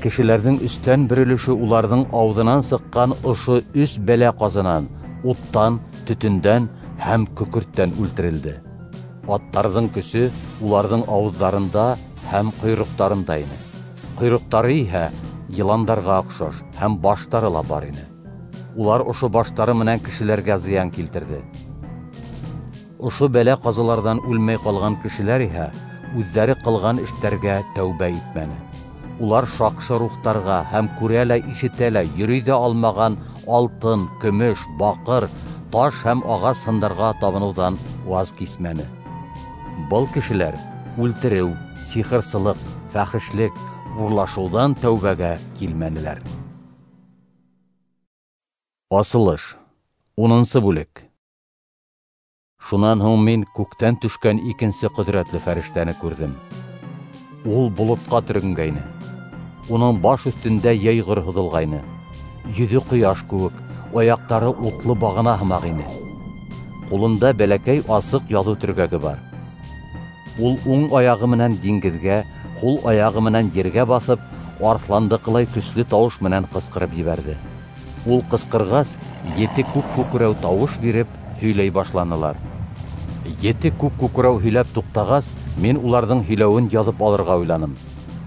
Кешеләрҙең өстән бер өлөшө уларҙың ауыҙынан сыҡҡан ошо өс бәлә ҡазынан, уттан, төтөндән һәм көкөрттән үлтерелде. Аттарҙың көсө уларҙың ауыҙҙарында һәм ҡойроҡтарында ине. Ҡойроҡтары иһә йыландарға оҡшаш һәм баштары ла бар ине. Улар ошо баштары менән кешеләргә зыян килтерҙе. Ошо бәлә ҡазаларҙан үлмәй ҡалған кешеләр иһә үҙҙәре ҡылған эштәргә тәүбә итмәне. Улар шаҡшы рухтарға һәм күрә лә, ишетә лә, йөрөй ҙә алмаған алтын, көмөш, баҡыр, таш һәм ағас һындарға табыныуҙан ваз кисмәне. Был кешеләр үлтереү, сихырсылыҡ, фәхешлек, урлашыуҙан тәүбәгә килмәнеләр. Асылыш. Унынсы бүлек. Шунан һуң мин күктән төшкән икенсе ҡөҙрәтле фәрештәне күрҙем. Ул болотҡа төрөнгәйне. Уның баш өҫтөндә йәйғор һуҙылғайны. Йөҙө ҡояш кеүек, аяҡтары утлы бағана һымаҡ ине. Ҡулында бәләкәй асыҡ яҙыу төргәге бар. Ул уң аяғы менән диңгеҙгә, һул аяғы менән ергә баҫып, арыҫландыҡылай көслө тауыш менән ҡысҡырып ебәрҙе. Ул ҡысҡырғас, ете күк күкрәү тауыш биреп һөйләй башланылар. Ете күк күкрәү һөйләп туҡтағас, мин уларҙың һөйләүен яҙып алырға уйланым.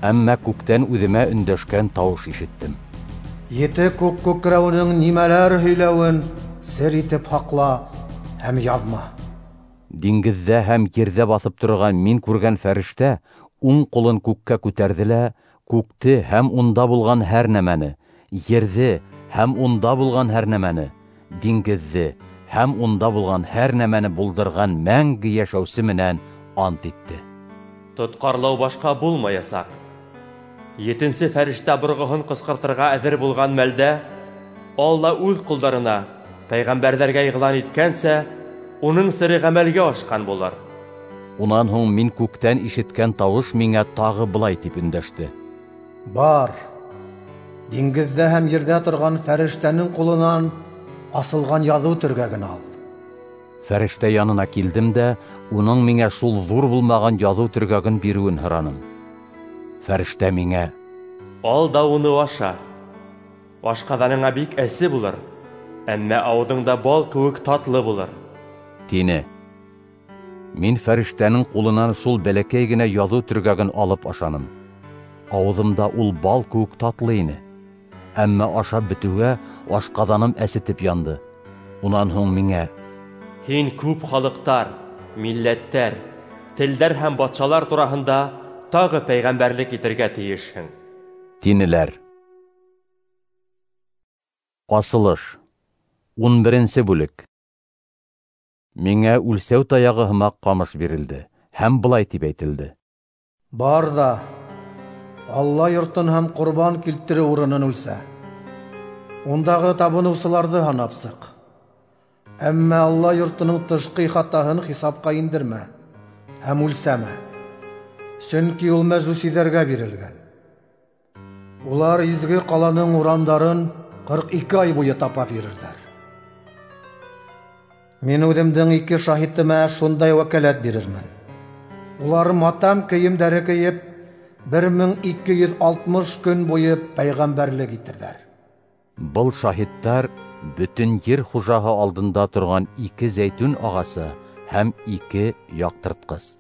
Әммә күктән үҙемә өндәшкән тауыш ишеттем. Ете күк күкрәүенең нимәләр һөйләүен сер итеп һаҡла һәм яҙма. Диңгеҙҙә һәм ерҙә баҫып торған мин күргән фәрештә уң ҡулын күккә күтәрҙе лә, күкте һәм унда булған һәр нәмәне, ерҙе һәм унда булған һәр нәмәне, диңгеҙҙе һәм унда булған һәр нәмәне булдырған мәңге йәшәүсе менән ант итте. Тотҡарлау башҡа булмаясаҡ. Етенсе фәрештә борғоһон ҡысҡыртырға әҙер булған мәлдә Алла үҙ ҡолдарына, пәйғәмбәрҙәргә иғлан иткәнсә, уның сере ғәмәлгә ашҡан булыр. Унан һуң мин күктән ишеткән тауыш миңә тағы былай тип өндәште: Бар, диңгеҙҙә һәм ерҙә торған фәрештәнең ҡулынан асылған яҙыу төргәген ал. Фәрештә янына килдем дә, уның миңә шул ҙур булмаған яҙыу төргәген биреүен һораным. Фәрештә миңә: Ал да уны аша. Ашҡаҙаныңа бик әсе булыр, әммә ауыҙыңда бал кеүек татлы булыр, тине. Мин фәрештәнең ҡулынан шул бәләкәй генә яҙыу төргәген алып ашаным. Ауыҙымда ул бал кеүек татлы ине. Әммә ашап бөтөүгә ашҡаҙаным әсетеп янды. Унан һуң миңә: Һин күп халыҡтар, милләттәр, телдәр һәм батшалар тураһында тағы пәйғәмбәрлек итергә тейешһең, тинеләр. Асылыш. Ун беренсе бүлек. Миңә үлсәү таяғы һымаҡ ҡамыш бирелде һәм былай тип әйтелде: Бар ҙа Алла йортон һәм ҡорбан килтереү урынын үлсә. Ундағы табыныусыларҙы һанап сыҡ. Әммә Алла йортоноң тышҡы ихатаһын хисапҡа индермә һәм үлсәмә. Сөнки ул мәжүсиҙәргә бирелгән. Улар изге ҡаланың урамдарын ҡырҡ ике ай буйы тапап йөрөрҙәр. Мин үҙемдең ике шаһитыма шундай вәкәләт бирермен. Улар матам кейемдәре кейеп, бер мең ике йөҙ алтмыш көн буйы пәйғәмбәрлек итерҙәр. Был шаһиттар бөтөн ер хужаһы алдында торған ике зәйтүн ағасы һәм ике яҡтыртҡыс.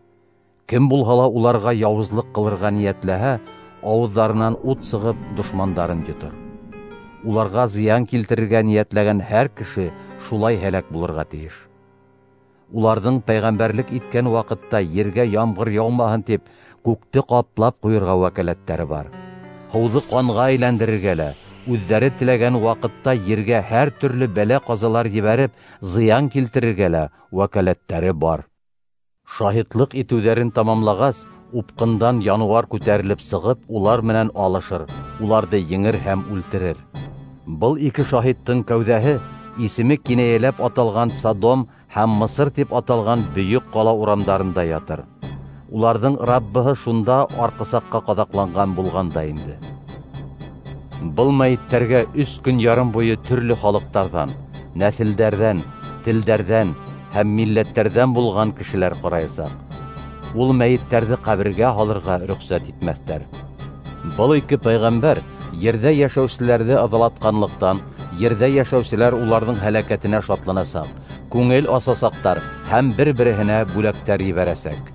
Кем булһа ла уларға яуызлыҡ ҡылырға ниәтләһә, ауыҙҙарынан ут сығып дошмандарын йотор. Уларға зыян килтерергә ниәтләгән һәр кеше шулай һәләк булырға тейеш. Уларҙың пәйғәмбәрлек иткән ваҡытта ергә ямғыр яумаһын тип күкте ҡаплап ҡуйырға вәкәләттәре бар. Һыуҙы ҡанға әйләндерергә лә, үҙҙәре теләгән ваҡытта ергә һәр төрлө бәлә-ҡазалар ебәреп зыян килтерергә лә вәкәләттәре бар. Шаһитлыҡ итеүҙәрен тамамлағас, упҡындан януар күтәрелеп сығып, улар менән алышыр, уларҙы еңер һәм үлтерер. Был ике шаһиттың кәүҙәһе исеме кинәйәләп аталған Содом һәм Мысыр тип аталған бөйөк ҡала урамдарында ятыр. Уларҙың Раббыһы шунда арҡысаҡҡа ҡаҙаҡланған булған да инде. Был мәйеттәргә өс көн ярым буйы төрлө халыҡтарҙан, нәҫелдәрҙән, телдәрҙән һәм милләттәрҙән булған кешеләр ҡараясаҡ. Ул мәйеттәрҙе ҡәбергә һалырға рөхсәт итмәҫтәр. Был ике пәйғәмбәр ерҙә йәшәүселәрҙе ыҙалатҡанлыҡтан, ерҙә йәшәүселәр уларҙың һәләкәтенә шатланасаҡ, күңел асасаҡтар һәм бер-береһенә бүләктәр ебәрәсәк.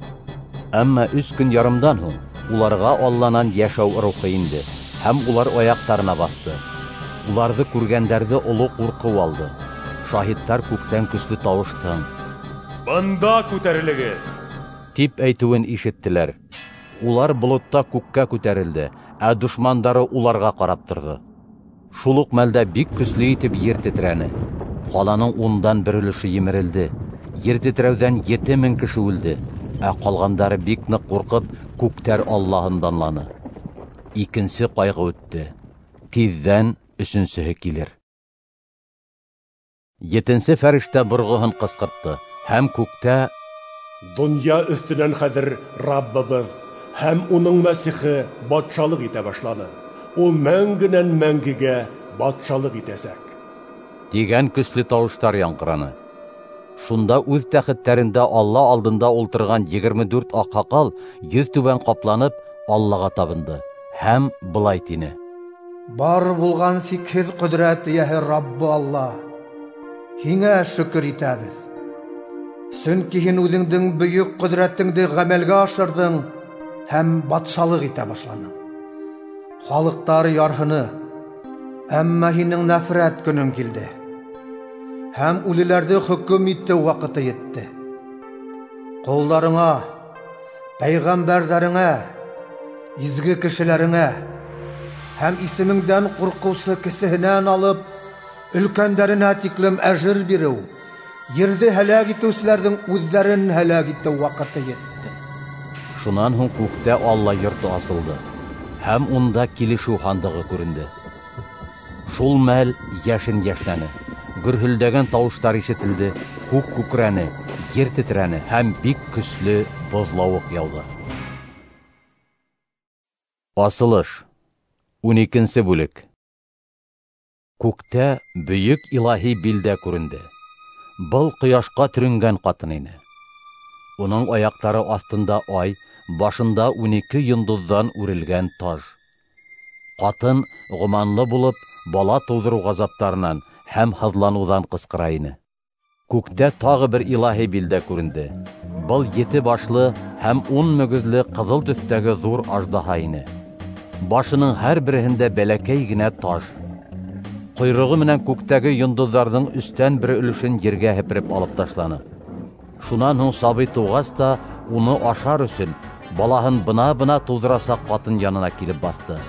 Әммә өс көн ярымдан һуң уларға Алланан йәшәү рухы инде, һәм улар аяҡтарына баҫты. Уларҙы күргәндәрҙе оло ҡурҡыу алды. Шаһиттар күктән көслө тауыштың «Бында күтәрелегеҙ!» тип әйтеүен ишеттеләр. Улар болотта күккә күтәрелде, ә дошмандары уларға ҡарап торҙо. Шул уҡ мәлдә бик көслө итеп ер тетрәне. Ҡаланың ундан бер өлөшө емерелде. Ер тетрәүҙән ете мең кеше үлде, ә ҡалғандары бик ныҡ ҡурҡып, күктәр Аллаһын данланы. Икенсе ҡайғы үтте. Тиҙҙән өсөнсөһө килер. Етенсе фәрештә борғоһон ҡысҡыртты, һәм күктә «Донъя өҫтөнән хәҙер Раббыбыҙ һәм уның Мәсихе батшалыҡ итә башланы. Ул мәңгенән мәңгегә батшалыҡ итәсәк» тигән көслө тауыштар яңғыраны. Шунда үҙ тәхеттәрендә Алла алдында ултырған егерме дүрт аҡһаҡал йөҙ түбән ҡапланып Аллаға табынды һәм былай тине: «Бар булған сикһеҙ ҡөҙрәт эйәһе Раббы Алла, һиңә шөкөр итәбеҙ. Сөнки һин үҙеңдең бөйөк ҡөҙрәтеңде ғәмәлгә ашырҙың һәм батшалыҡ итә башланың. Халыҡтар ярһыны, әммә һинең нәфрәт көнөң килде, һәм үлеләрҙе хөкөм итеү ваҡыты етте. Ҡолдарыңа, пәйғәмбәрҙәреңә, изге кешеләреңә һәм исемеңдән ҡурҡыусы кесеһенән алып өлкәндәренә тиклем әжер биреү, ерҙе һәләк итеүселәрҙең үҙҙәрен һәләк итеү ваҡыты етте». Шунан һуң күктә Алла йорто асылды, һәм унда килешеү һандығы күренде. Шул мәл йәшен йәшнәне, гөрһөлдәгән тауыштар ишетелде, күк күкрәне, ер тетрәне һәм бик көслө боҙлауыҡ яуҙы. Асылыш. Ун икенсе бүлек. Күктә бөйөк илаһи билдә күренде. Был ҡояшҡа төрөнгән ҡатын ине. Уның аяҡтары аҫтында ай, башында ун ике йондоҙҙан үрелгән таж. Ҡатын ғоманлы булып, бала тыуҙырыу ғазаптарынан һәм һыҙланыуҙан ҡысҡыра ине. Күктә тағы бер илаһи билдә күренде. Был ете башлы һәм ун мөгөҙлө ҡыҙыл төҫтәге ҙур аждаһа ине. Башының һәр береһендә бәләкәй генә таж. Ҡойроғо менән күктәге йондоҙҙарҙың өстән бер өлөшөн ергә һепереп алып ташланы. Шунан һуң сабый тыуғас та уны ашар өсөн балаһын бына-бына тыуҙырасаҡ ҡатын янына килеп баҫты.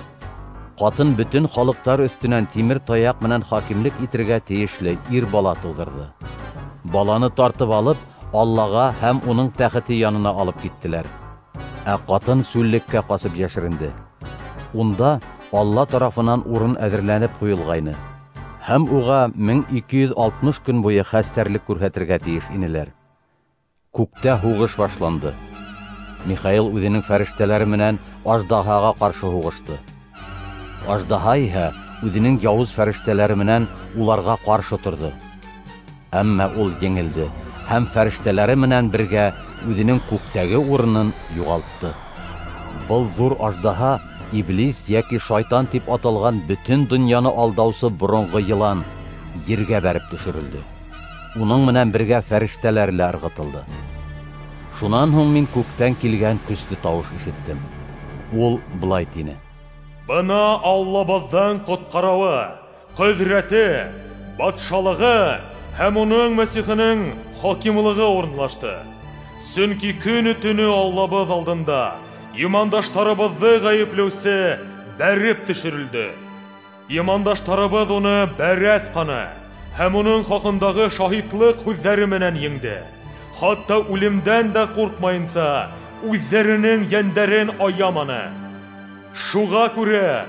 Ҡатын бөтөн халыҡтар өҫтөнән тимер таяҡ менән хакимлек итергә тейешле ир бала тыуҙырҙы. Баланы тартып алып, Аллаға һәм уның тәхете янына алып киттеләр. Ә ҡатын сүллеккә ҡасып йәшеренде. Унда Алла тарафынан урын әҙерләнеп ҡуйылғайны. Һәм уға мең ике йөҙ алтмыш көн буйы хәстәрлек күрһәтергә тейеш инеләр. Күктә һуғыш башланды. Михаил үҙенең фәрештәләре менән аждаһаға ҡаршы һуғышты. Аждаһа иһә үҙенең яуыз фәрештәләре менән уларға ҡаршы торҙо. Әммә ул еңелде һәм фәрештәләре менән бергә үҙенең күктәге урынын юғалтты. Был ҙур аждаһа Иблис йәки шайтан тип аталған бөтөн донъяны алдаусы боронғо йылан ергә бәреп төшөрөлдө. Уның менән бергә фәрештәләр лә ырғытылды. Шунан һуң мин күктән килгән көслө тауыш ишеттем. Ул былай тине: Бына Аллабыҙҙың ҡотҡарыуы, ҡөҙрәте, батшалығы һәм уның Мәсихенең хакимлығы урынлашты. Сөнки көнө-төнө Аллабыҙ алдында имандаштарыбыҙҙы ғәйепләүсе бәреп төшөрөлдө. Имандаштарыбыҙ уны бәрәс ҡаны һәм уның хаҡындағы шаһитлыҡ һүҙҙәре менән еңде. Хатта үлемдән дә ҡурҡмайынса үҙҙәренең йәндәрен аяманы. Шуға күрә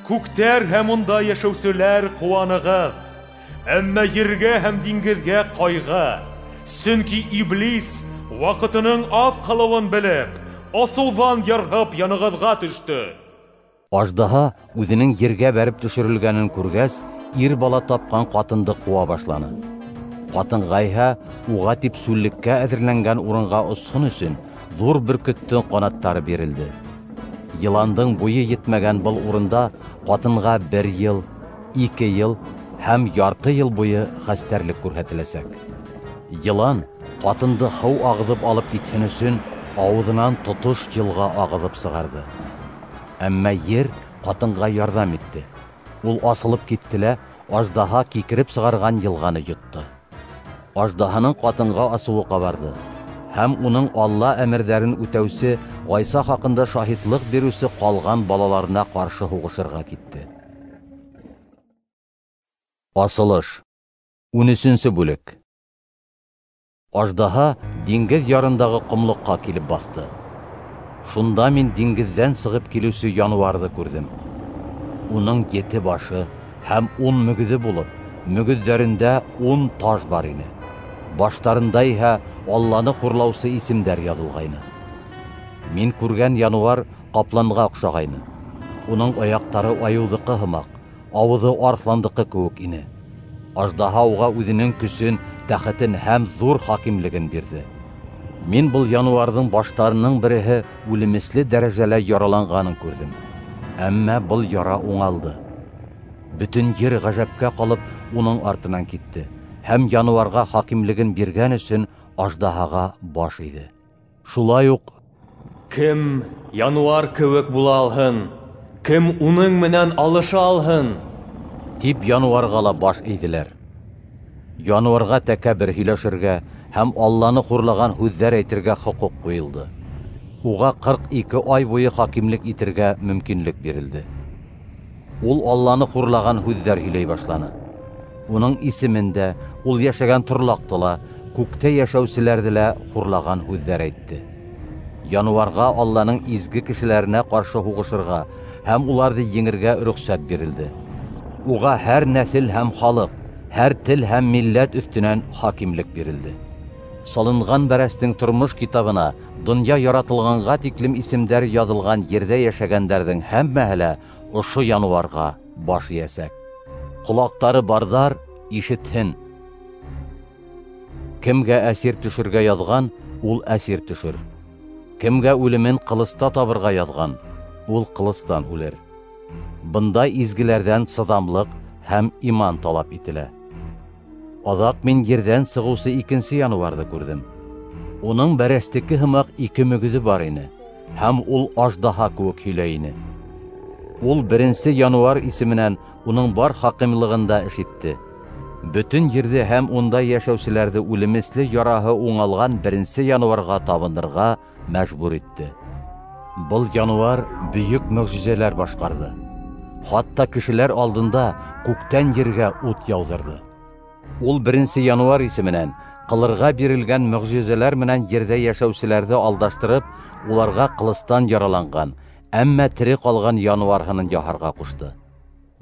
күктәр һәм унда йәшәүселәр ҡыуанығыҙ. Әммә ергә һәм диңгеҙгә ҡайғы. Сөнки Иблис ваҡытының аҙ ҡалыуын белеп, асыуҙан ярһып янығыҙға төштө. Аждаһа үҙенең ергә бәреп төшөрөлгәнен күргәс, ир бала тапҡан ҡатынды ҡыуа башланы. Ҡатынға иһә уға тип сүллеккә әҙерләнгән урынға осһон өсөн ҙур бөркөттөң ҡанаттары бирелде. Йыландың буйы етмәгән был урында ҡатынға бер йыл, ике йыл һәм ярты йыл буйы хәстәрлек күрһәтеләсәк. Йылан ҡатынды һыу ағыҙып алып китһен өсөн ауыҙынан тотош йылға ағыҙып сығарҙы. Әммә ер ҡатынға ярҙам итте. Ул асылып китте лә аждаһа кикереп сығарған йылғаны йотто. Аждаһаның ҡатынға асыуы ҡабарҙы һәм уның Алла әмерҙәрен үтәүсе Ғайса хаҡында шаһитлыҡ биреүсе ҡалған балаларына ҡаршы һуғышырға китте. Асылыш. Ун өсөнсө бүлек. Аждаһа диңгеҙ ярындағы ҡомлоҡҡа килеп баҫты. Шунда мин диңгеҙҙән сығып килеүсе януарҙы күрҙем. Уның ете башы һәм ун мөгөҙө булып, мөгөҙҙәрендә ун таж бар ине. Баштарында иһә Алланы хурлаусы исемдәр яҙылғайны. Мин күргән януар ҡапланға оҡшағайны. Уның аяҡтары айыуҙыҡы һымаҡ, ауыҙы арыҫландыҡы кеүек ине. Аждаһа уға үҙенең көсөн, тәхетен һәм ҙур хакимлеген бирҙе. Мин был януарҙың баштарының береһе үлемесле дәрәжәлә яраланғанын күрҙем. Әммә был яра уңалды. Бөтөн ер ғәжәпкә ҡалып уның артынан китте һәм януарға хакимлеген биргән өсөн аждаһаға баш эйҙе. Шулай уҡ Кем януар кеүек була алһын, кем уның менән алыша алһын, тип януарға ла баш эйҙеләр. Януарға тәкәббер һөйләшергә һәм Алланы хурлаған һүҙҙәр әйтергә хоҡуҡ ҡуйылды. Уға ҡырҡ ике ай буйы хакимлек итергә мөмкинлек бирелде. Ул Алланы хурлаған һүҙҙәр һөйләй башланы. Уның исемен дә, ул йәшәгән торлаҡты ла, күктә йәшәүселәрҙе лә хурлаған һүҙҙәр әйтте. Януарға Алланың изге кешеләренә ҡаршы һуғышырға һәм уларҙы еңергә рөхсәт бирелде. Уға һәр нәҫел һәм халыҡ, һәр тел һәм милләт өҫтөнән хакимлек бирелде. Салынған бәрәстең тормош китабына донъя яратылғанға тиклем исемдәр яҙылған ерҙә йәшәгәндәрҙең һәммәһе лә ошо януарға баш эйәсәк. Ҡолаҡтары барҙар ишетһен. Кемгә әсир төшөргә яҙған, ул әсир төшөр. Кемгә үлемен ҡылыста табырға яҙған, ул ҡылыстан үлер. Бында изгеләрҙән сыҙамлыҡ һәм иман талап ителә. Аҙаҡ мин ерҙән сығыусы икенсе януарҙы күрҙем. Уның бәрәстеке һымаҡ ике мөгөҙө бар ине, һәм ул аждаһа кеүек һөйләй ине. Ул беренсе януар исеменән уның бар хакимлығында эш итте. Бөтөн ерҙе һәм унда йәшәүселәрҙе үлемесле яраһы уңалған беренсе януарға табынырға мәжбүр итте. Был януар бөйөк мөғжизәләр башҡарҙы. Хатта кешеләр алдында күктән ергә ут яуҙырҙы. Ул беренсе януар исеменән ҡылырға бирелгән мөғжизәләр менән ерҙә йәшәүселәрҙе алдаштырып, уларға ҡылыстан яраланған, әммә тере ҡалған януар һынын яһарға ҡушты.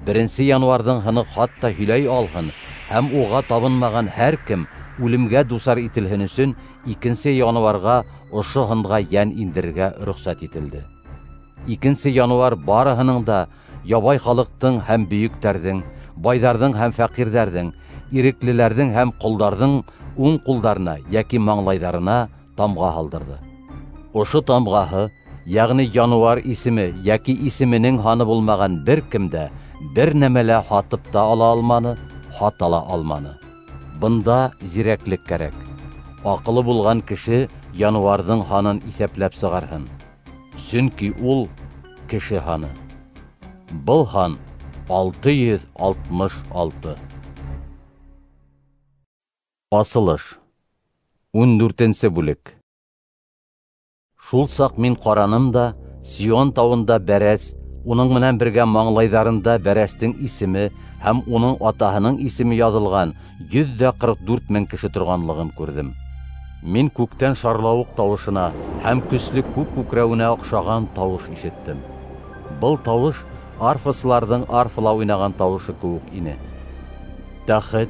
Беренсе януарҙың һыны хатта һөйләй алһын, һәм уға табынмаған һәр кем үлемгә дусар ителһен өсөн икенсе януарға ошо һынға йән индерергә рөхсәт ителде. Икенсе януар барыһының да ябай халыҡтың һәм бөйөктәрҙең, байҙарҙың һәм фәҡирҙәрҙең, иреклеләрҙең һәм ҡолдарҙың уң ҡулдарына йәки маңлайҙарына тамға һалдырҙы. Ошо тамғаһы, йәғни януар исеме йәки исеменең һаны булмаған бер кем дә бер нәмә лә һатып та ала алманы, һата ла алманы. Бында зирәклек кәрәк. Аҡылы булған кеше януарҙың һанын иҫәпләп сығарһын, сөнки ул кеше һаны. Был һан алты йөҙ алтмыш алты. Асылыш. Ун дүртенсе бүлек. Шул саҡ мин ҡараным да, Сион тауында бәрәс, уның менән бергә маңлайҙарында бәрәстең исеме һәм уның атаһының исеме яҙылған йөҙ ҙә ҡырҡ дүрт мең кеше торғанлығын күрҙем. Мин күктән шарлауыҡ тауышына һәм көслө күк күкрәүенә оҡшаған тауыш ишеттем. Был тауыш арфасыларҙың арфала уйнаған тауышы кеүек ине. Тәхет,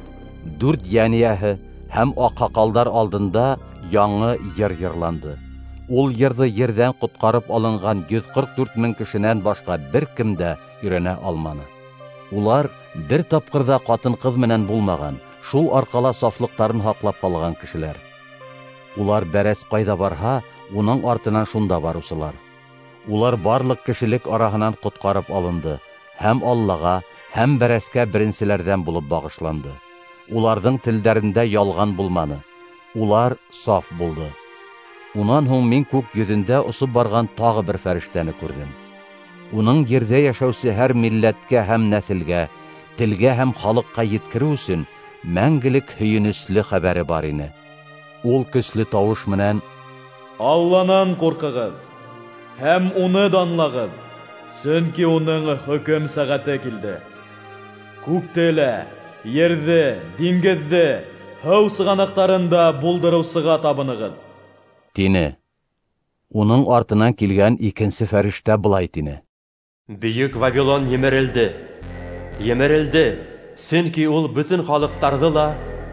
дүрт йән эйәһе һәм аҡһаҡалдар алдында яңы йыр йырланды. Ул йырҙы ерҙән ҡотҡарып алынған йөҙ ҡырҡ дүрт мең кешенән башҡа бер кем дә өйрәнә алманы. Улар бер тапҡыр ҙа ҡатын-ҡыҙ менән булмаған, шул арҡала сафлыҡтарын һаҡлап ҡалған кешеләр. Улар бәрәс ҡайҙа барһа, уның артынан шунда барыусылар. Улар барлыҡ кешелек араһынан ҡотҡарып алынды һәм Аллаға, һәм бәрәскә беренселәрҙән булып бағышланды. Уларҙың телдәрендә ялған булманы. Улар саф булды. Унан һуң мин күк йөҙөндә осоп барған тағы бер фәрештәне күрҙем. Уның ерҙә йәшәүсе һәр милләткә һәм нәҫелгә, телгә һәм халыҡҡа еткереү өсөн мәңгелек һөйөнөслө хәбәре бар ине. Ул көслө тауыш менән: Алланан ҡурҡығыҙ һәм уны данлағыҙ, сөнки уның хөкөм сәғәте килде. Күкте лә, ерҙе, диңгеҙҙе, һыу сығанаҡтарын да булдырыусыға табынығыҙ, тине. Уның артынан килгән икенсе фәрештә былай тине: Бөйөк Вавилон емерелде, емерелде, сөнки ул бөтөн халыҡтарҙы ла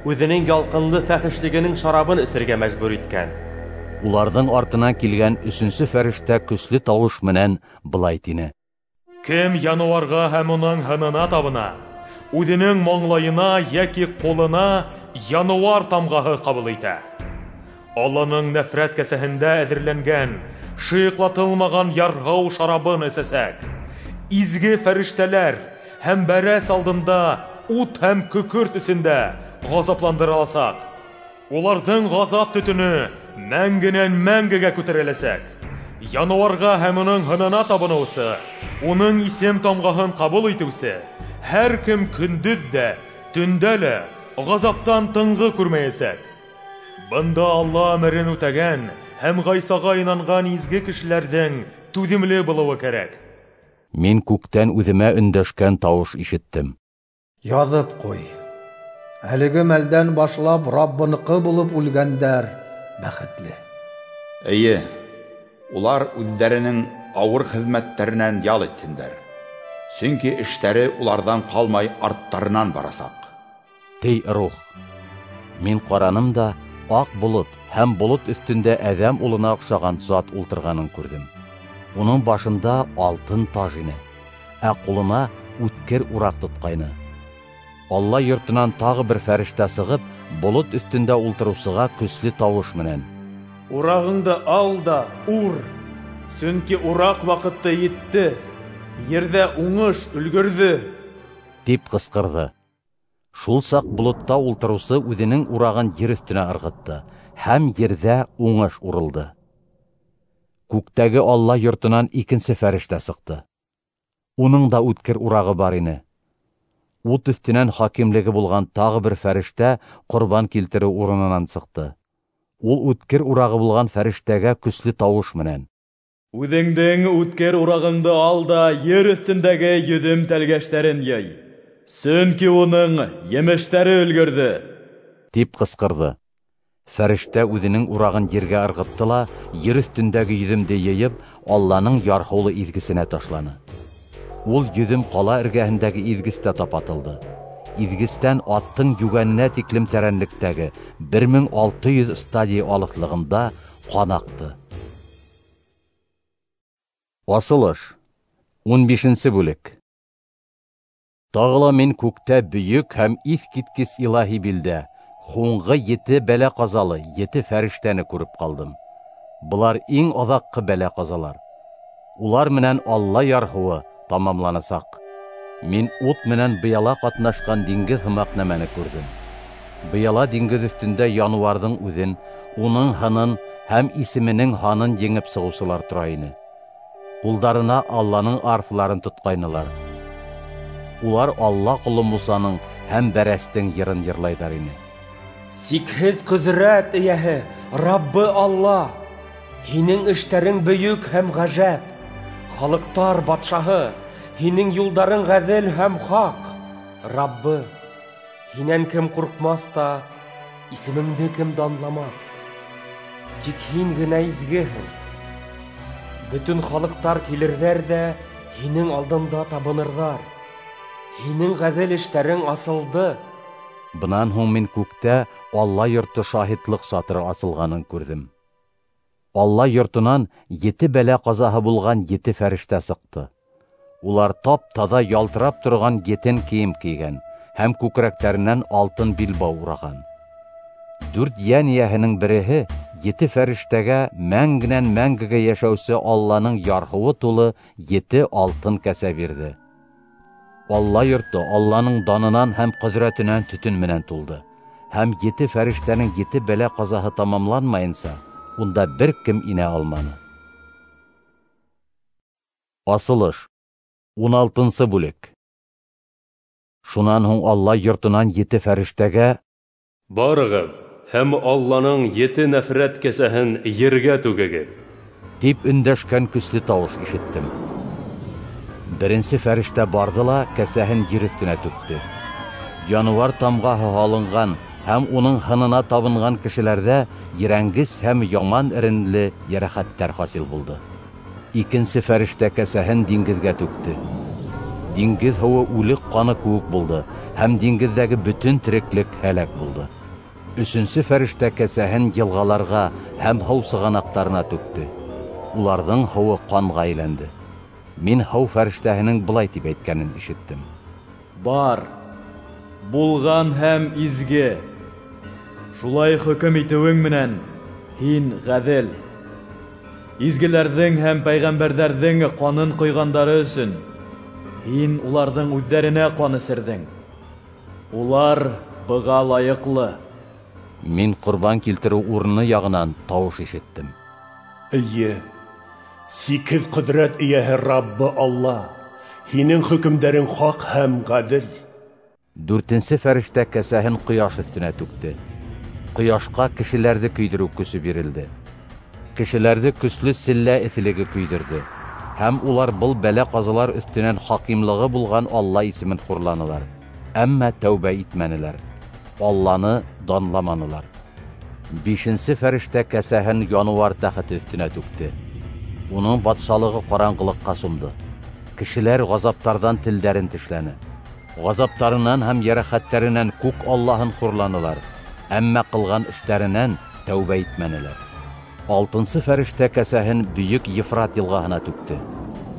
үҙенең ялҡынлы фәхешлегенең шарабын эсергә мәжбүр иткән. Уларҙың артынан килгән өсөнсө фәрештә көслө тауыш менән былай тине: Кем януарға һәм уның һынына табына, үҙенең маңлайына йәки ҡулына януар тамғаһы ҡабул итә. Алланың нәфрәт кәсәһендә әҙерләнгән, шыйыҡлатылмаған ярһыу шарабын эсәсәк. Изге фәрештәләр һәм бәрәс алдында ут һәм көкөрт эсендә ғазапландырыласаҡ. Уларҙың ғазап төтөнө мәңгенән мәңгегә күтәреләсәк. Януарға һәм уның һынына табыныусы, уның исем тамғаһын ҡабул итеүсе һәр кем көндөҙ ҙә, төндә лә ғазаптан тынғы күрмәйәсәк. Бында Алла әмерен үтәгән һәм Ғайсаға инанған изге кешеләрҙең түҙемле булыуы кәрәк. Мин күктән үҙемә өндәшкән тауыш ишеттем. Яҙып ҡуй: әлеге мәлдән башлап Раббыныҡы булып үлгәндәр бәхетле. Эйе, улар үҙҙәренең ауыр хеҙмәттәренән ял итһендәр, сөнки эштәре уларҙан ҡалмай арттарынан барасаҡ, ти рух. Мин ҡараным да, аҡ болот һәм болот өҫтөндә әҙәм улына оҡшаған зат ултырғанын күрҙем. Уның башында алтын таж ине, ә ҡулына үткер ураҡ тотҡайны. Алла йортонан тағы бер фәрештә сығып, болот өҫтөндә ултырыусыға көслө тауыш менән: Урағыңды ал да ур, сөнки ураҡ ваҡыты етте, ерҙә уңыш өлгөрҙө, тип ҡысҡырҙы. Шул саҡ болотта ултырыусы үҙенең урағын ер өҫтөнә ырғытты, һәм ерҙә уңыш урылды. Күктәге Алла йортонан икенсе фәрештә сыҡты. Уның да үткер урағы бар ине. Ут өҫтөнән хакимлеге булған тағы бер фәрештә ҡорбан килтереү урынынан сыҡты. Ул үткер урағы булған фәрештәгә көслө тауыш менән: Үҙеңдең үткер урағыңды ал да ер өҫтөндәге йөҙөм тәлгәштәрен йый, сөнки уның емештәре өлгөрҙө, тип ҡысҡырҙы. Фәрештә үҙенең урағын ергә ырғытты ла, ер өҫтөндәге йөҙөмдө йыйып, Алланың ярһыулы изгесенә ташланы. Ул йөҙөм ҡала эргәһендәге изгестә тапатылды. Иҙгестән аттың йүгәненә тиклем тәрәнлектәге бер мең алты йөҙ стадий алыҫлығында ҡан аҡты. Асылыш. Ун бишенсе бүлек. Тағы ла мин күктә бөйөк һәм иҫ киткес илаһи билдә һуңғы ете бәлә ҡазалы ете фәрештәне күреп ҡалдым. Былар иң аҙаҡҡы бәлә ҡазалар. Улар менән Алла ярһыуы тамамланасаҡ. Мин ут менән быяла ҡатнашҡан диңгеҙ һымаҡ нәмәне күрҙем. Быяла диңгеҙ өҫтөндә януарҙың үҙен, уның һынын һәм исеменең һанын еңеп сығыусылар тора ине. Ҡулдарына Алланың арфаларын тотҡайнылар. Улар Алла ҡоло Мусаның һәм Бәрәстең йырын йырлайҙар ине. Сикһеҙ ҡөҙрәт эйәһе, Раббы Алла, һинең эштәрең бөйөк һәм ғәжәп. Халыҡтар батшаһы, һинең юлдарың ғәҙел һәм хаҡ. Раббы, һинән кем ҡурҡмаҫ та, исемеңде кем данламаҫ? Тик һин генә изгеһең. Бөтөн халыҡтар килерҙәр ҙә һинең алдында табынырҙар. Һинең ғәҙел эштәрең асылды. Бынан һуң мин күктә Алла йорто шаһитлыҡ сатыры асылғанын күрҙем. Алла йортонан ете бәлә ҡазаһы булған ете фәрештә сыҡты. Улар тап-таҙа ялтырап торған еттен кейем кейгән һәм күкрәктәренән алтын билбау ураған. Дүрт йән эйәһенең береһе ете фәрештәгә мәңгенән мәңгегә йәшәүсе Алланың ярһыуы тулы ете алтын кәсә бирҙе. Алла йорто Алланың данынан һәм ҡөҙрәтенән төтөн менән тулды. Һәм ете фәрештәнең ете бәлә ҡазаһы тамамланмайынса, унда бер кем инә алманы. Асылыш. Ун алтынсы бүлек. Шунан һуң Алла йортонан ете фәрештәгә: «Барығыҙ һәм Алланың ете нәфрәт кәсәһен ергә түгегеҙ», тип өндәшкән көслө тауыш ишеттем. Беренсе фәрештә барҙы ла кәсәһен ер өҫтөнә түкте. Януар тамғаһы һалынған һәм уның һынына табынған кешеләрҙә ерәнгес һәм яман эренле йәрәхәттәр хасил булды. Икенсе фәрештә кәсәһен диңгеҙгә түкте. Диңгеҙ һыуы үлек ҡаны кеүек булды, һәм диңгеҙҙәге бөтөн тереклек һәләк булды. Өсөнсө фәрештә кәсәһен йылғаларға һәм һыу сығанаҡтарына түкте. Уларҙың һыуы ҡанға әйләнде. Мин һыу фәрештәһенең былай тип әйткәнен ишеттем: «Бар, булған һәм изге, шулай хөкөм итеүең менән һин ғәҙел. Изгеләрҙең һәм пәйғәмбәрҙәрҙең ҡанын ҡойғандары өсөн һин уларҙың үҙҙәренә ҡан эсерҙең. Улар быға лайыҡлы». Мин ҡорбан килтереү урыны яғынан тауыш ишеттем: «Эйе, сикһеҙ ҡөҙрәт эйәһе Раббы Алла, һинең хөкөмдәрең хаҡ һәм ғәҙел». Дүртенсе фәрештә кәсәһен ҡояш өҫтөнә түкте. Ҡояшҡа кешеләрҙе көйҙөрөү көсө бирелде. Кешеләрҙе көслө селлә эҫелеге көйҙөрҙө, һәм улар был бәлә ҡазалар өҫтөнән хакимлығы булған Алла исемен хурланылар, әммә тәүбә итмәнеләр, Алланы данламанылар. Бишенсе фәрештә кәсәһен януар тәхете өҫтөнә түкте. Уның батшалығы ҡараңғылыҡҡа сумды. Кешеләр ғазаптарҙан телдәрен тешләне. Ғазаптарынан һәм йәрәхәттәренән күк Аллаһын хурланылар, әммә ҡылған эштәренән тәүбә итмәнеләр. Алтынсы фәрештә кәсәһен бөйөк Ефрат йылғаһына түкте.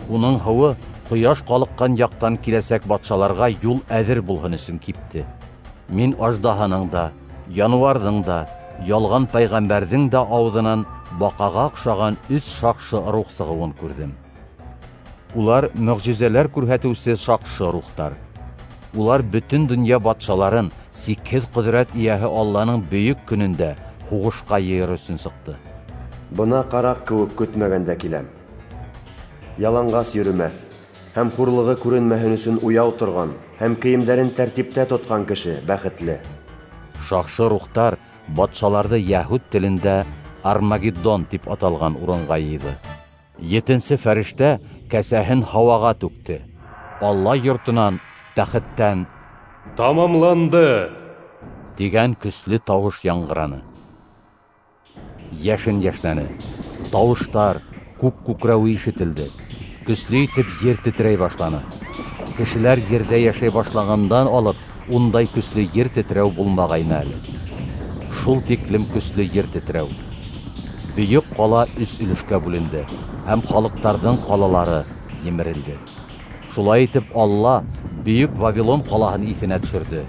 Уның һыуы ҡояш ҡалҡҡан яҡтан киләсәк батшаларға юл әҙер булһын өсөн кипте. Мин аждаһаның да, януарҙың да, ялған пәйғәмбәрҙең дә ауыҙынан баҡаға оҡшаған өс шаҡшы рух сығыуын күрҙем. Улар мөғжизәләр күрһәтеүсе шаҡшы рухтар. Улар бөтөн донъя батшаларын сикһеҙ ҡөҙрәт эйәһе Алланың бөйөк көнөндә һуғышҡа йыйыр өсөн сыҡты. Бына ҡараҡ кеүек көтмәгәндә киләм. Яланғас йөрөмәҫ һәм хурлығы күренмәһен өсөн уяу торған һәм кейемдәрен тәртиптә тотҡан кеше бәхетле. Шаҡшы рухтар батшаларҙы яһүд телендә Армагеддон тип аталған урынға йыйҙы. Етенсе фәрештә кәсәһен һауаға түкте. Алла йортонан, тәхеттән «Тамамланды!» тигән көслө тауыш яңғыраны. Йәшен йәшнәне, тауыштар, күк күкрәүе ишетелде. Көслө итеп ер тетрәй башланы. Кешеләр ерҙә йәшәй башлағандан алып Ундай көслө ер тетрәү булмағайны әле. Шул тиклем көслө ер тетрәү. Бөйөк ҡала өс өлөшкә бүленде, һәм халыҡтарҙың ҡалалары емерелде. Шулай итеп Алла бөйөк Вавилон ҡалаһын иҫенә төшөрҙө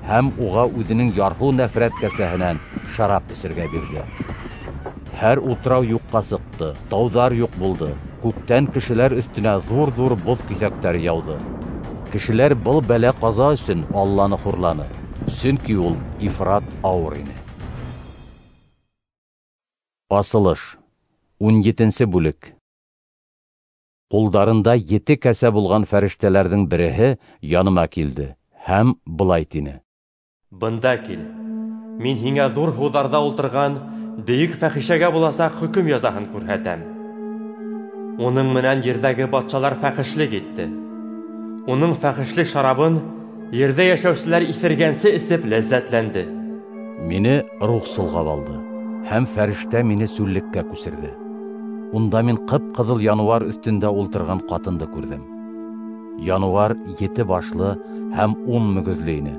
һәм уға үҙенең ярһыу нәфрәт кәсәһенән шарап эсергә бирҙе. Һәр утрау юҡҡа сыҡты, тауҙар юҡ булды, күктән кешеләр өҫтөнә ҙур-ҙур боҙ киҫәктәре яуҙы. Кешеләр был бәлә-ҡаза өсөн Алланы хурланы, сөнки ул ифрат ауыр ине. Асылыш. Ун етенсе бүлек. Ҡулдарында ете кәсә булған фәрештәләрҙең береһе яныма килде һәм былай тине: Бында кил, мин һиңә ҙур һыуҙарҙа ултырған бөйөк фәхишәгә буласаҡ хөкөм язаһын күрһәтәм. Уның менән ерҙәге батшалар фәхишлек итте. Уның фәхишлек шарабын ерҙә йәшәүселәр иҫергәнсе эсеп ләззәтләнде. Мине рух солғап алды, һәм фәрештә мине сүллеккә күсерҙе. Унда мин ҡып-ҡыҙыл януар өҫтөндә ултырған ҡатынды күрҙем. Януар ете башлы һәм ун мөгөҙлө ине,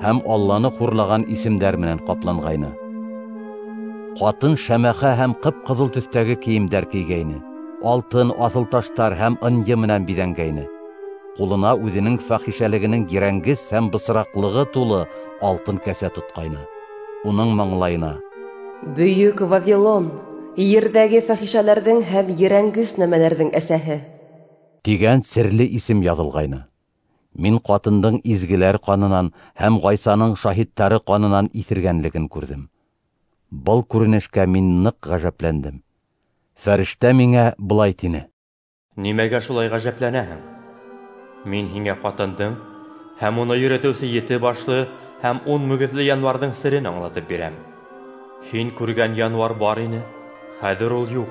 һәм Алланы хурлаған исемдәр менән ҡапланғайны. Ҡатын шәмәхә һәм ҡып-ҡыҙыл төҫтәге кейемдәр кейгәйне, алтын, аҫылташтар һәм ынйы менән биҙәнгәйне. Ҡулына үҙенең фәхишәлегенең ерәнгес һәм бысраҡлығы тулы алтын кәсә тотҡайны. Уның маңлайына: Бөйөк Вавилон, ерҙәге фәхишәләрҙең һәм ерәнгес нәмәләрҙең әсәһе, тигән серле исем яҙылғайны. Мин ҡатындың изгеләр ҡанынан һәм Ғайсаның шаһиттары ҡанынан иҫергәнлеген күрҙем. Был күренешкә мин ныҡ ғәжәпләндем. Фәрештә миңә былай тине: Нимәгә шулай ғәжәпләнәһең? Мин һиңә ҡатындың һәм уны йөрөтөүсе ете башлы һәм ун мөгөҙлө януарҙың серен аңлатып бирәм. Һин күргән януар бар ине, хәҙер ул юҡ.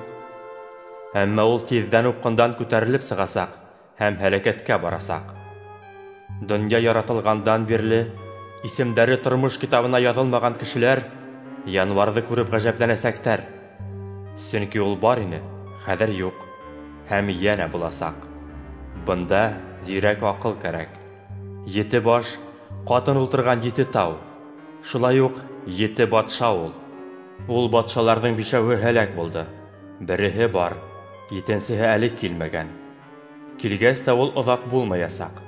Әммә ул тиҙҙән упҡындан күтәрелеп сығасаҡ һәм һәләкәткә барасаҡ. Донъя яратылғандан бирле исемдәре тормош китабына яҙылмаған кешеләр януарҙы күреп ғәжәпләнәсәктәр. Сөнки ул бар ине, хәҙер юҡ, һәм йәнә буласаҡ. Бында зирәк аҡыл кәрәк. Ете баш ҡатын ултырған ете тау, шулай уҡ ете батша ул. Ул батшаларҙың бишәүһе һәләк булды, береһе бар, етенсеһе әле килмәгән. Килгәс тә ул оҙаҡ булмаясаҡ.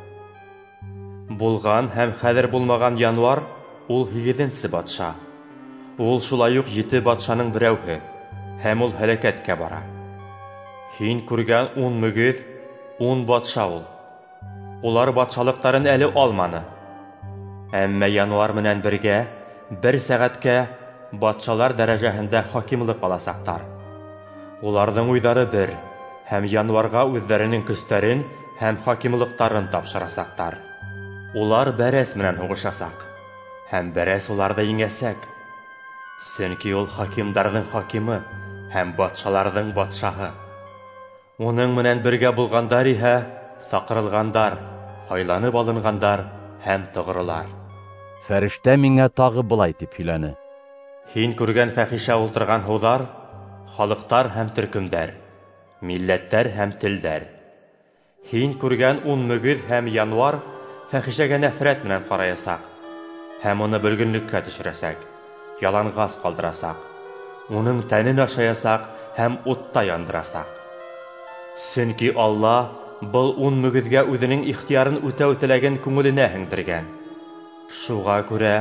Булған һәм хәҙер булмаған януар ул һигеҙенсе батша. Ул шулай уҡ ете батшаның берәүһе, һәм ул һәләкәткә бара. Һин күргән ун мөгөҙ ун батша ул. Улар батшалыҡтарын әле алманы. Әммә януар менән бергә бер сәғәткә батшалар дәрәжәһендә хакимлыҡ аласаҡтар. Уларҙың уйҙары бер, һәм януарға үҙҙәренең көстәрен һәм хакимлыҡтарын тапшырасаҡтар. Улар бәрәс менән һуғышасаҡ, һәм бәрәс уларҙы еңәсәк. Сөнки ул хакимдарҙың хакимы һәм батшаларҙың батшаһы. Уның менән бергә булғандар иһә саҡырылғандар, һайланып алынғандар һәм тоғролар. Фәрештә миңә тағы былай тип һөйләне: Һин күргән фәхишә ултырған һыуҙар халыҡтар һәм төркөмдәр, милләттәр һәм телдәр. Һин күргән ун мөгөҙ һәм януар фәхишәгә нәфрәт менән ҡараясаҡ һәм уны бөлгөнлөккә төшөрәсәк, яланғас ҡалдырасаҡ, уның тәнен ашаясаҡ һәм утта яндырасаҡ. Сөнки Алла был ун мөгөҙгә үҙенең ихтыярын үтәү теләген күңеленә һеңдергән. Шуға күрә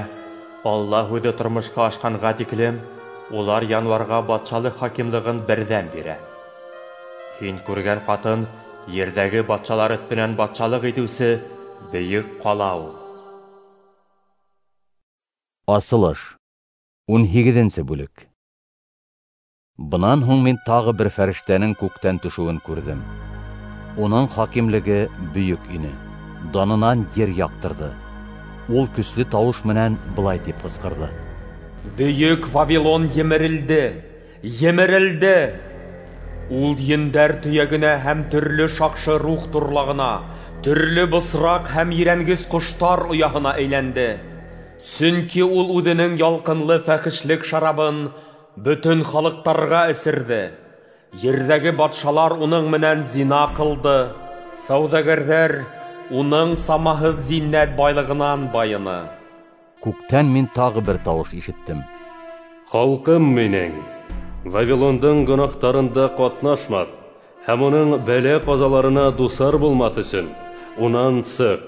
Алла һүҙе тормошҡа ашҡанға тиклем улар януарға батшалыҡ хакимлығын берҙәм бирә. Һин күргән ҡатын ерҙәге батшалар өҫтөнән батшалыҡ итеүсе бөйөк ҡала ул. Асылыш. Ун һигеҙенсе бүлек. Бынан һуң мин тағы бер фәрештәнең күктән төшөүен күрҙем. Уның хакимлеге бөйөк ине, данынан ер яҡтырҙы. Ул көслө тауыш менән былай тип ҡысҡырҙы: Бөйөк Вавилон емерелде, емерелде! Ул ендәр төйәгенә һәм төрлө шаҡшы рух торлағына, төрлө бысраҡ һәм ерәнгес ҡоштар ояһына әйләнде. Сөнки ул үҙенең ялҡынлы фәхишлек шарабын бөтөн халыҡтарға эсерҙе. Ерҙәге батшалар уның менән зина ҡылды. Сауҙагәрҙәр уның самаһыҙ зиннәт байлығынан байыны. Күктән мин тағы бер тауыш ишеттем. Халҡым минең, Вавилондың гонаһтарында ҡатнашмаҫ һәм уның бәлә-ҡазаларына дусар булмаҫ өсөн унан сыҡ.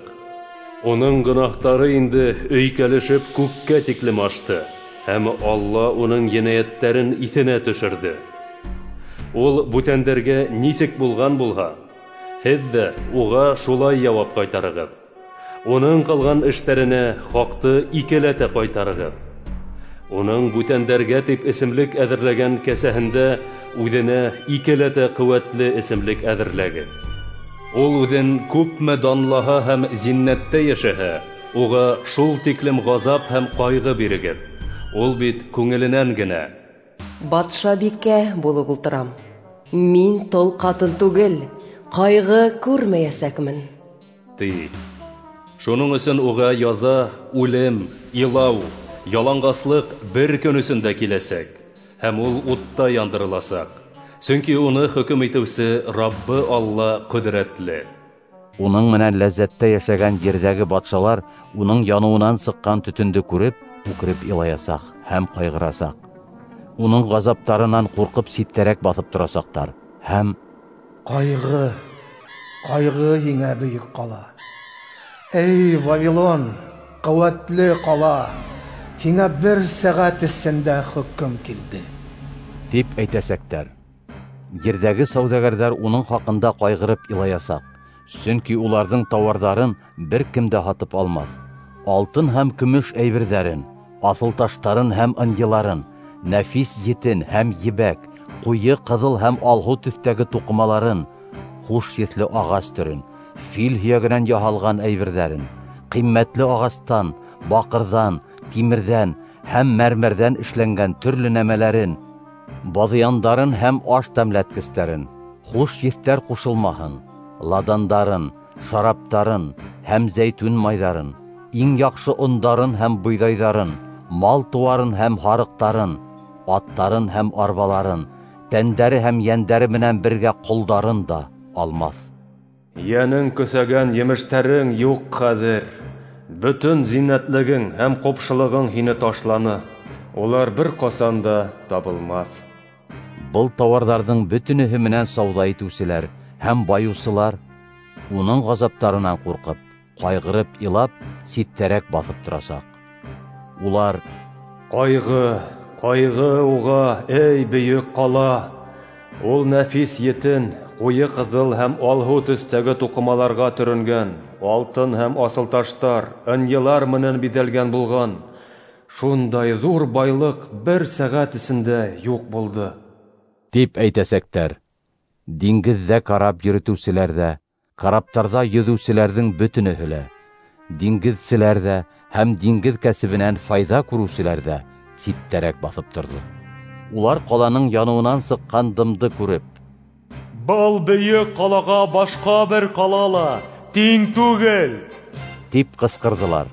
Уның гонаһтары инде өйкәлешеп күккә тиклем ашты, һәм Алла уның енәйәттәрен иҫенә төшөрҙө. Ул бүтәндәргә нисек булған булһа, һеҙ ҙә уға шулай яуап ҡайтарығыҙ. Уның ҡылған эштәренә хаҡты икеләтә ҡайтарығыҙ. Уның бүтәндәргә тип эсемлек әҙерләгән кәсәһендә үҙенә икеләтә ҡеүәтле эсемлек әҙерләгеҙ. Ул үҙен күпме данлаһа һәм зиннәттә йәшәһә, уға шул тиклем ғазап һәм ҡайғы бирегеҙ. Ул бит күңеленән генә: Батшабикә булып ултырам, мин тол ҡатын түгел, ҡайғы күрмәйәсәкмен, ти. Шуның өсөн уға яза, үлем, илау, яланғаслыҡ бер көн эсендә киләсәк, һәм ул утта яндырыласаҡ. Сөнки уны хөкөм итеүсе Раббы Алла ҡөҙрәтле. Уның менән ләззәттә йәшәгән ерҙәге батшалар уның яныуынан сыҡҡан төтөндө күреп, үкереп илаясаҡ һәм ҡайғырасаҡ. Уның ғазаптарынан ҡурҡып ситтәрәк баҫып торасаҡтар һәм: Ҡайғы, ҡайғы һиңә, бөйөк ҡала! Эй, Вавилон, ҡеүәтле ҡала! Һиңә бер сәғәт эсендә хөкөм килде, тип әйтәсәктәр. Ерҙәге сауҙагәрҙәр уның хаҡында ҡайғырып илаясаҡ, сөнки уларҙың тауарҙарын бер кем дә һатып алмаҫ. Алтын һәм көмөш әйберҙәрен, аҫылташтарын һәм ынйыларын, нәфис етен һәм ебәк, ҡуйы ҡыҙыл һәм алһыу төҫтәге туҡымаларын, хуш еҫле ағас төрөн, фил һөйәгенән яһалған әйберҙәрен, ҡиммәтле ағастан, баҡырҙан, тимерҙән һәм мәрмәрҙән эшләнгән төрлө нәмәләрен, баҙыяндарын һәм аш тәмләткестәрен, хуш еҫтәр ҡушылмаһын, ладандарын, шараптарын һәм зәйтүн майҙарын, иң яҡшы ондарын һәм бойҙайҙарын, мал тыуарын һәм һарыҡтарын, аттарын һәм арбаларын, тәндәре һәм йәндәре менән бергә ҡолдарын да алмаҫ. Йәнең көҫәгән емештәрең юҡ хәҙер. Бөтөн зиннәтлегең һәм ҡупшылығың һине ташланы. Улар бер ҡасан да табылмаҫ. Был тауарҙарҙың бөтөнөһө менән сауҙа итеүселәр һәм байыусылар уның ғазаптарынан ҡурҡып, ҡайғырып илап, ситтәрәк баҫып торасаҡ. Улар: Ҡайғы, ҡайғы уға, эй, бөйөк ҡала! Ул нәфис етен, ҡуйы ҡыҙыл һәм алһыу төҫтәге туҡымаларға төрөнгән, алтын һәм аҫылташтар, ынйылар менән биҙәлгән булған. Шундай ҙур байлыҡ бер сәғәт эсендә юҡ булды, тип әйтәсәктәр. Диңгеҙҙә карап йөрөтөүселәр ҙә, караптарҙа йөҙөүселәрҙең бөтөнөһө лә, диңгеҙселәр ҙә һәм диңгеҙ кәсебенән файҙа күреүселәр ҙә ситтәрәк баҫып торҙо. Улар ҡаланың яныуынан сыҡҡан дымды күреп: Был бөйөк ҡалаға башҡа бер ҡала ла тиң түгел, тип ҡысҡырҙылар.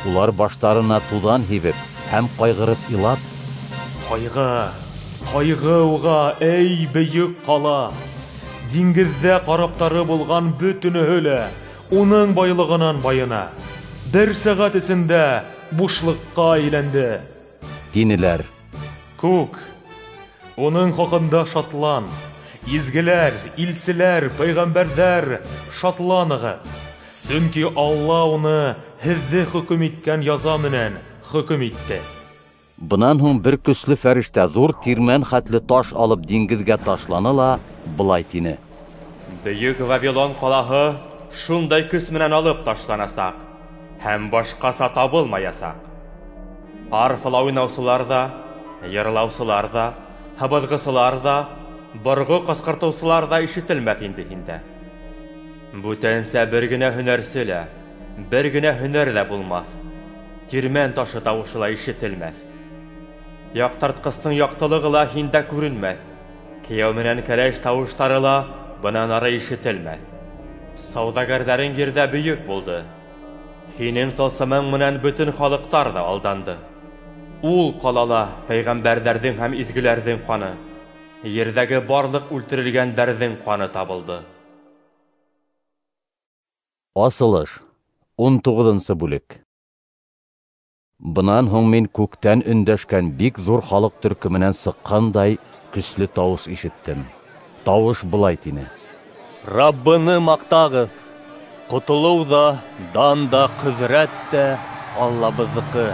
Улар баштарына туҙан һибеп һәм ҡайғырып илап: Ҡайғы, ҡайғы уға, эй, бөйөк ҡала! Диңгеҙҙә караптары булған бөтөнөһө лә уның байлығынан байына. Бер сәғәт эсендә бушлыҡҡа әйләнде, тинеләр. Күк, уның хаҡында шатлан. Изгеләр, илселәр, пәйғәмбәрҙәр, шатланығыҙ. Сөнки Алла уны һеҙҙе хөкөм иткән яза менән хөкөм итте. Бынан һуң бер көслө фәрештә ҙур тирмән хәтле таш алып диңгеҙгә ташланы ла былай тине: Бөйөк Вавилон ҡалаһы шундай көс менән алып ташланасаҡ һәм башҡаса табылмаясаҡ. Арфала уйнаусылар ҙа, йырлаусылар ҙа, һыбыҙғысылар ҙа, борғо ҡысҡыртыусылар ҙа ишетелмәҫ инде һиндә. Бүтәнсә бер генә һөнәрсе лә, бер генә һөнәр ҙә булмаҫ. Тирмән ташы тауышы ла ишетелмәҫ. Яҡтыртҡыстың яҡтылығы ла һиндә күренмәҫ. Кейәү менән кәләш тауыштары ла бынан ары ишетелмәҫ. Сауҙагәрҙәрең ерҙә бөйөк булды. Һинең тылсымың менән бөтөн халыҡтар ҙа алданды. Ул ҡалала пәйғәмбәрҙәрҙең һәм изгеләрҙең ҡаны, ерҙәге барлыҡ үлтерелгәндәрҙең ҡаны табылды. Асылыш, ун туғыҙынсы бүлек. Бынан һуң мин күктән өндәшкән бик ҙур халыҡ төркөмөнән сыҡҡандай көслө тауыш ишеттем. Тауыш былай тине: Раббыны маҡтағыҙ, ҡотолоу ҙа, дан да, ҡөҙрәт тә Аллабыҙҙыҡы.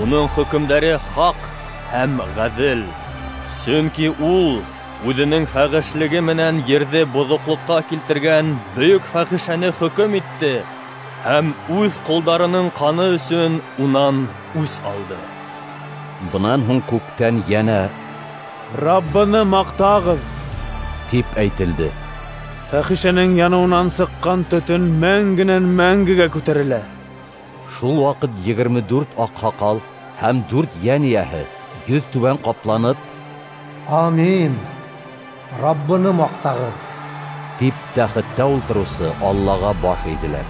Уның хөкөмдәре хаҡ һәм ғәҙел. Сөнки ул үҙенең фәхешлеге менән ерҙе боҙоҡлоҡҡа килтергән бөйөк фәхишәне хөкөм итте һәм үҙ ҡолдарының ҡаны өсөн унан үс алды. Бынан һуң күктән йәнә Раббыны маҡтағыҙ тип әйтелде. Фәхишәнең яныуынан сыҡҡан төтөн мәңгенән мәңгегә күтәрелә. Шул ваҡыт егерме дүрт аҡһаҡал һәм дүрт йән эйәһе йөҙ түбән ҡапланып: Амин, Раббыны маҡтағыҙ, тип тәхеттә ултырыусы Аллаға баш эйҙеләр.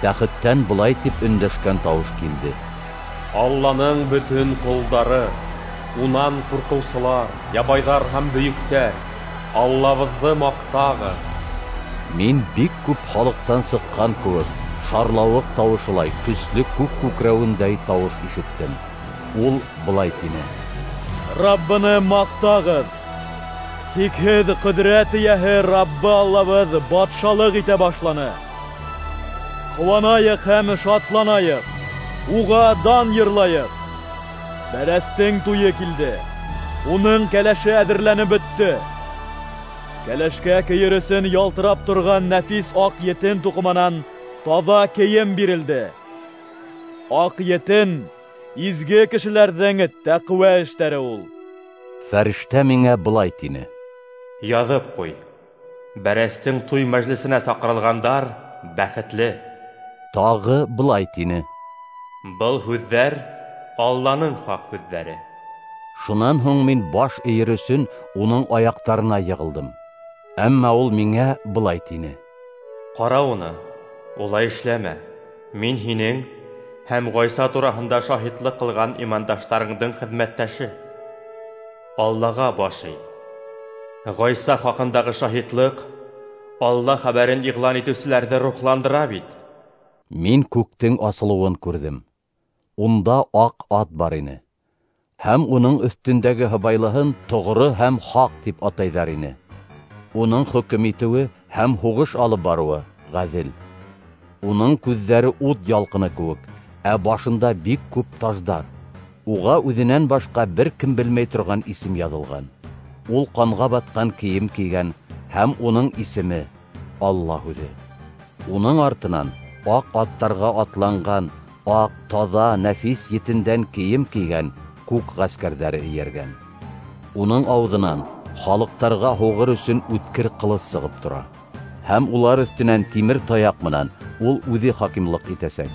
Тәхеттән былай тип өндәшкән тауыш килде: Алланың бөтөн ҡолдары, унан ҡурҡыусылар, ябайҙар һәм бөйөктәр, Аллабыҙҙы маҡтағыҙ. Мин бик күп халыҡтан сыҡҡан кеүек шарлауыҡ тауышылай көслө күк күкрәүендәй тауыш ишеттем. Ул былай тине: Раббыны маҡтағыҙ! Сикһеҙ ҡөҙрәт эйәһе Раббы Аллабыҙ батшалыҡ итә башланы. Ҡыуанайыҡ һәм шатланайыҡ, уға дан йырлайыҡ. Бәрәстең туйы килде, уның кәләше әҙерләнеп бөттө. Кәләшкә кейер өсөн ялтырап торған нәфис аҡ етен туҡыманан таҙа кейем бирелде. Аҡ етен — изге кешеләрҙең тәҡүә эштәре ул. Фәрештә миңә былай тине: Яҙып ҡуй, бәрәстең туй мәжлесенә саҡырылғандар бәхетле. Тағы былай тине: Был һүҙҙәр Алланың хаҡ һүҙҙәре. Шунан һуң мин баш эйер өсөн уның аяҡтарына йығылдым. Әммә ул миңә былай тине: Ҡара уны, улай эшләмә. Мин һинең һәм Ғайса тураһында шаһитлыҡ ҡылған имандаштарыңдың хеҙмәттәше. Аллаға баш эй. Ғайса хаҡындағы шаһитлыҡ Алла хәбәрен иғлан итеүселәрҙе рухландыра бит. Мин күктең асылыуын күрҙем. Унда аҡ ат бар ине. Һәм уның өҫтөндәге һыбайлыһын тоғро һәм хаҡ тип атайҙар ине. Уның хөкөм итеүе һәм һуғыш алып барыуы ғәҙел. Уның күҙҙәре ут ялҡыны кеүек, ә башында бик күп таждар. Уға үҙенән башҡа бер кем белмәй торған исем яҙылған. Ул ҡанға батҡан кейем кейгән, һәм уның исеме Алла һүҙе. Уның артынан аҡ аттарға атланған, аҡ, таҙа, нәфис етендән кейем кейгән күк ғәскәрҙәре эйәргән. Уның ауыҙынан халыҡтарға һуғыр өсөн үткер ҡылыс сығып тора. Һәм улар өҫтөнән тимер таяҡ менән ул үҙе хакимлыҡ итәсәк.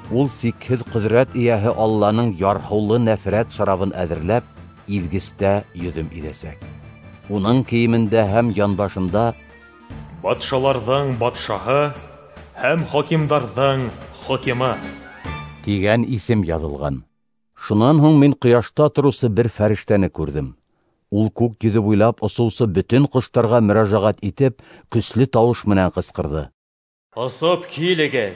Ул сикһеҙ ҡөҙрәт эйәһе Алланың ярһыулы нәфрәт шарабын әҙерләп, иҙгестә йөҙөм иҙәсәк. Уның кейемендә һәм янбашында Батшаларҙың батшаһы һәм хакимдарҙың хакимы тигән исем яҙылған. Шунан һуң мин ҡояшта тороусы бер фәрештәне күрҙем. Ул күк йөҙө буйлап осоусы бөтөн ҡоштарға мөрәжәғәт итеп, көслө тауыш менән ҡысҡырҙы: Осоп килегеҙ,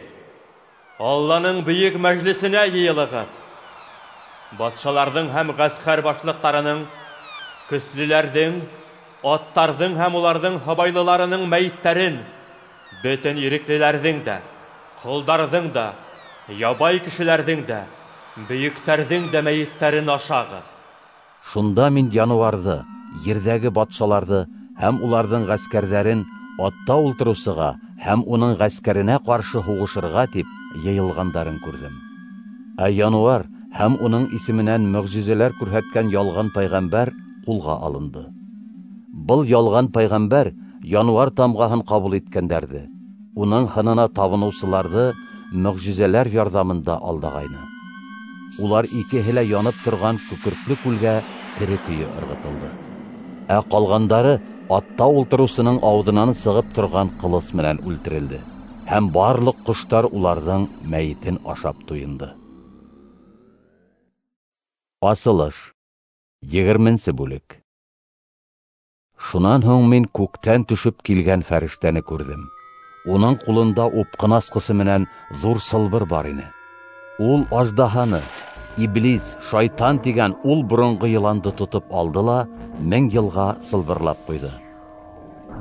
Алланың бөйөк мәжлесенә йыйылығыҙ. Батшаларҙың һәм ғәскәр башлыҡтарының, көслөләрҙең, аттарҙың һәм уларҙың һыбайлыларының мәйеттәрен, бөтөн иреклеләрҙең дә, ҡолдарҙың да, ябай кешеләрҙең дә, бөйөктәрҙең дә мәйеттәрен ашағыҙ. Шунда мин януарҙы, ерҙәге батшаларҙы һәм уларҙың ғәскәрҙәрен атта ултырыусыға һәм уның ғәскәренә ҡаршы һуғышырға тип йыйылғандарын күрҙем. Ә януар һәм уның исеменән мөғжизәләр күрһәткән ялған пайғамбәр ҡулға алынды. Был ялған пайғамбәр януар тамғаһын ҡабул иткәндәрҙе, уның һынына табыныусыларҙы мөғжизәләр ярҙамында алдағайны. Улар икеһе лә янып торған күкертле күлгә тере көйө ырғытылды. Ә ҡалғандары атта ултырыусының ауыҙынан сығып торған ҡылыс менән үлтерелде, һәм барлыҡ ҡоштар уларҙың мәйетен ашап туйынды. Асылыш, егерменсе бүлек. Шунан һуң мин күктән төшөп килгән фәрештәне күрҙем. Уның ҡулында упҡын асҡысы менән ҙур сылбыр бар ине. Ул аждаһаны, иблис, шайтан тигән ул боронғо йыланды тотоп алды ла мең йылға сылбырлап ҡуйҙы.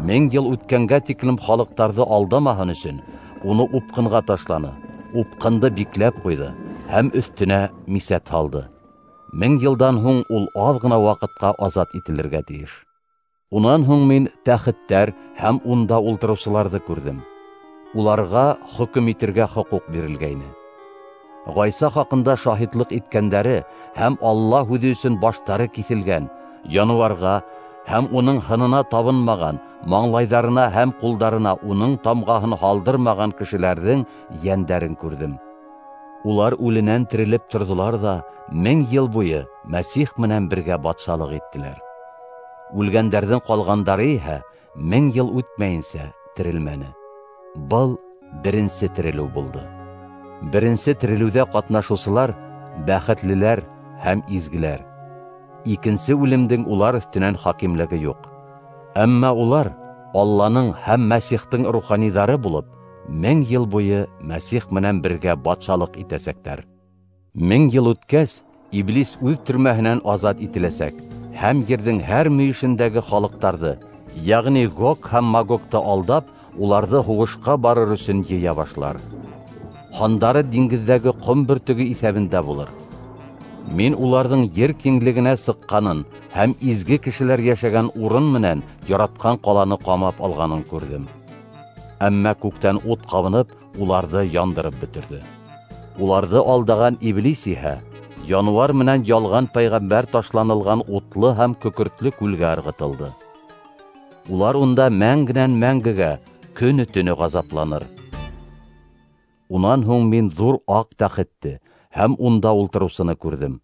Мең йыл үткәнгә тиклем халыҡтарҙы алдамаһын өсөн уны упҡынға ташланы, упҡынды бикләп ҡуйҙы һәм өҫтөнә мисәт һалды. Мең йылдан һуң ул аҙ ғына ваҡытҡа азат ителергә тейеш. Унан һуң мин тәхеттәр һәм унда ултырыусыларҙы күрҙем. Уларға хөкөм итергә хоҡуҡ бирелгәйне. Ғайса хаҡында шаһитлыҡ иткәндәре һәм Алла һүҙе өсөн баштары киҫелгән, януарға һәм уның һынына табынмаған, маңлайҙарына һәм ҡулдарына уның тамғаһын һалдырмаған кешеләрҙең йәндәрен күрҙем. Улар үленән терелеп торҙолар ҙа мең йыл буйы Мәсих менән бергә батшалыҡ иттеләр. Үлгәндәрҙең ҡалғандары иһә мең йыл үтмәйенсә терелмәне. Был беренсе терелеү булды. Беренсе терелеүҙә ҡатнашыусылар бәхетлеләр һәм изгеләр. Икенсе үлемдең улар өҫтөнән хакимлеге юҡ. Әммә улар Алланың һәм Мәсихтең руханиҙары булып, мең йыл буйы Мәсих менән бергә батшалыҡ итәсәктәр. Мең йыл үткәс, иблис үҙ төрмәһенән азат ителәсәк һәм ерҙең һәр мөйөшөндәге халыҡтарҙы, йәғни Гог һәм Магогты алдап, уларҙы һуғышҡа барыр өсөн йыя башлар. Һандары диңгеҙҙәге ҡом бөртөгө иҫәбендә булыр. Мин уларҙың ер киңлегенә сыҡҡанын һәм изге кешеләр йәшәгән урын менән яратҡан ҡаланы ҡамап алғанын күрҙем. Әммә күктән ут ҡабынып, уларҙы яндырып бөтөрҙө. Уларҙы алдаған иблис иһә януар менән ялған пәйғәмбәр ташланылған утлы һәм көкөртлө күлгә ырғытылды. Улар унда мәңгенән мәңгегә көнө-төнө ғазапланыр. Унан һуң мин ҙур аҡ тәхетте һәм унда ултырыусыны күрҙем.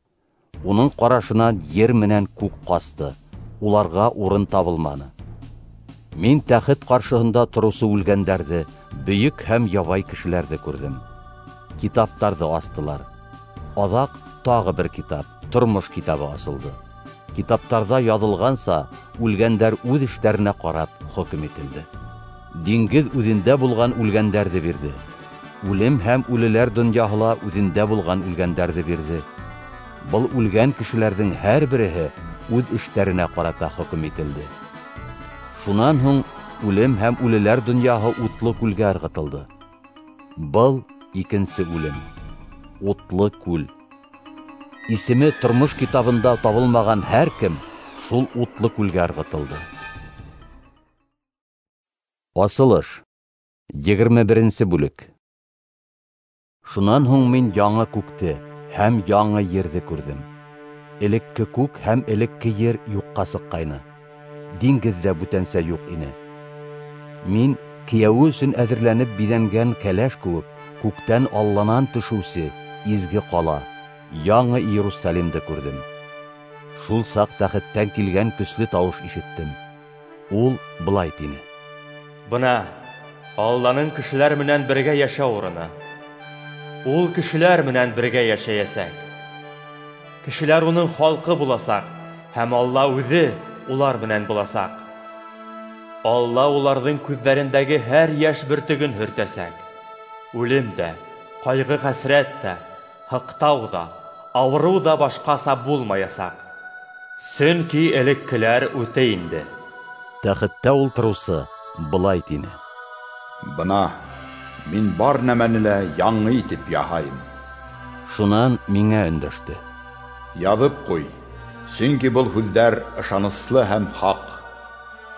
Уның ҡарашынан ер менән күк ҡасты, уларға урын табылманы. Мин тәхет ҡаршыһында тороусы үлгәндәрҙе, бөйөк һәм ябай кешеләрҙе күрҙем. Китаптарҙы астылар. Аҙаҡ тағы бер китап, тормош китабы асылды. Китаптарҙа яҙылғанса, үлгәндәр үҙ эштәренә ҡарап хөкөм ителде. Диңгеҙ үҙендә булған үлгәндәрҙе бирҙе. Үлем һәм үлеләр донъяһы ла үҙендә булған үлгәндәрҙе бирҙе. Был үлгән кешеләрҙең һәр береһе үҙ эштәренә ҡарата хөкөм ителде. Шунан һуң үлем һәм үлеләр донъяһы утлы күлгә ырғытылды. Был икенсе үлем, утлы күл. Исеме тормош китабында табылмаған һәр кем шул утлы күлгә ырғытылды. Асылыш, егерме беренсе бүлек. Шунан һуң мин яңы күкте һәм яңы ерҙе күрҙем. Элекке күк һәм элекке ер юҡҡа сыҡҡайны. Диңгеҙ ҙә бүтәнсә юҡ ине. Мин кейәүе өсөн әҙерләнеп биҙәнгән кәләш кеүек күктән Алланан төшөүсе изге ҡала, яңы Иерусалимды күрҙем. Шул саҡ тәхеттән килгән көслө тауыш ишеттем. Ул былай тине: Бына Алланың кешеләр менән бергә йәшәү урыны. Ул кешеләр менән бергә йәшәйәсәк. Кешеләр уның халҡы буласаҡ, һәм Алла үҙе улар менән буласаҡ. Алла уларҙың күҙҙәрендәге һәр йәш бөртөгөн һөртәсәк. Үлем дә, ҡайғы-хәсрәт тә, һыҡтау ҙа, ауырыу ҙа башҡаса булмаясаҡ. Сөнки элеккеләр үтә инде. Тәхеттә ултырыусы былай тине: Бына мин бар нәмәне лә яңы итеп яһайым. Шунан миңә өндәште: Яҙып ҡуй, сөнки был һүҙҙәр ышаныслы һәм хаҡ.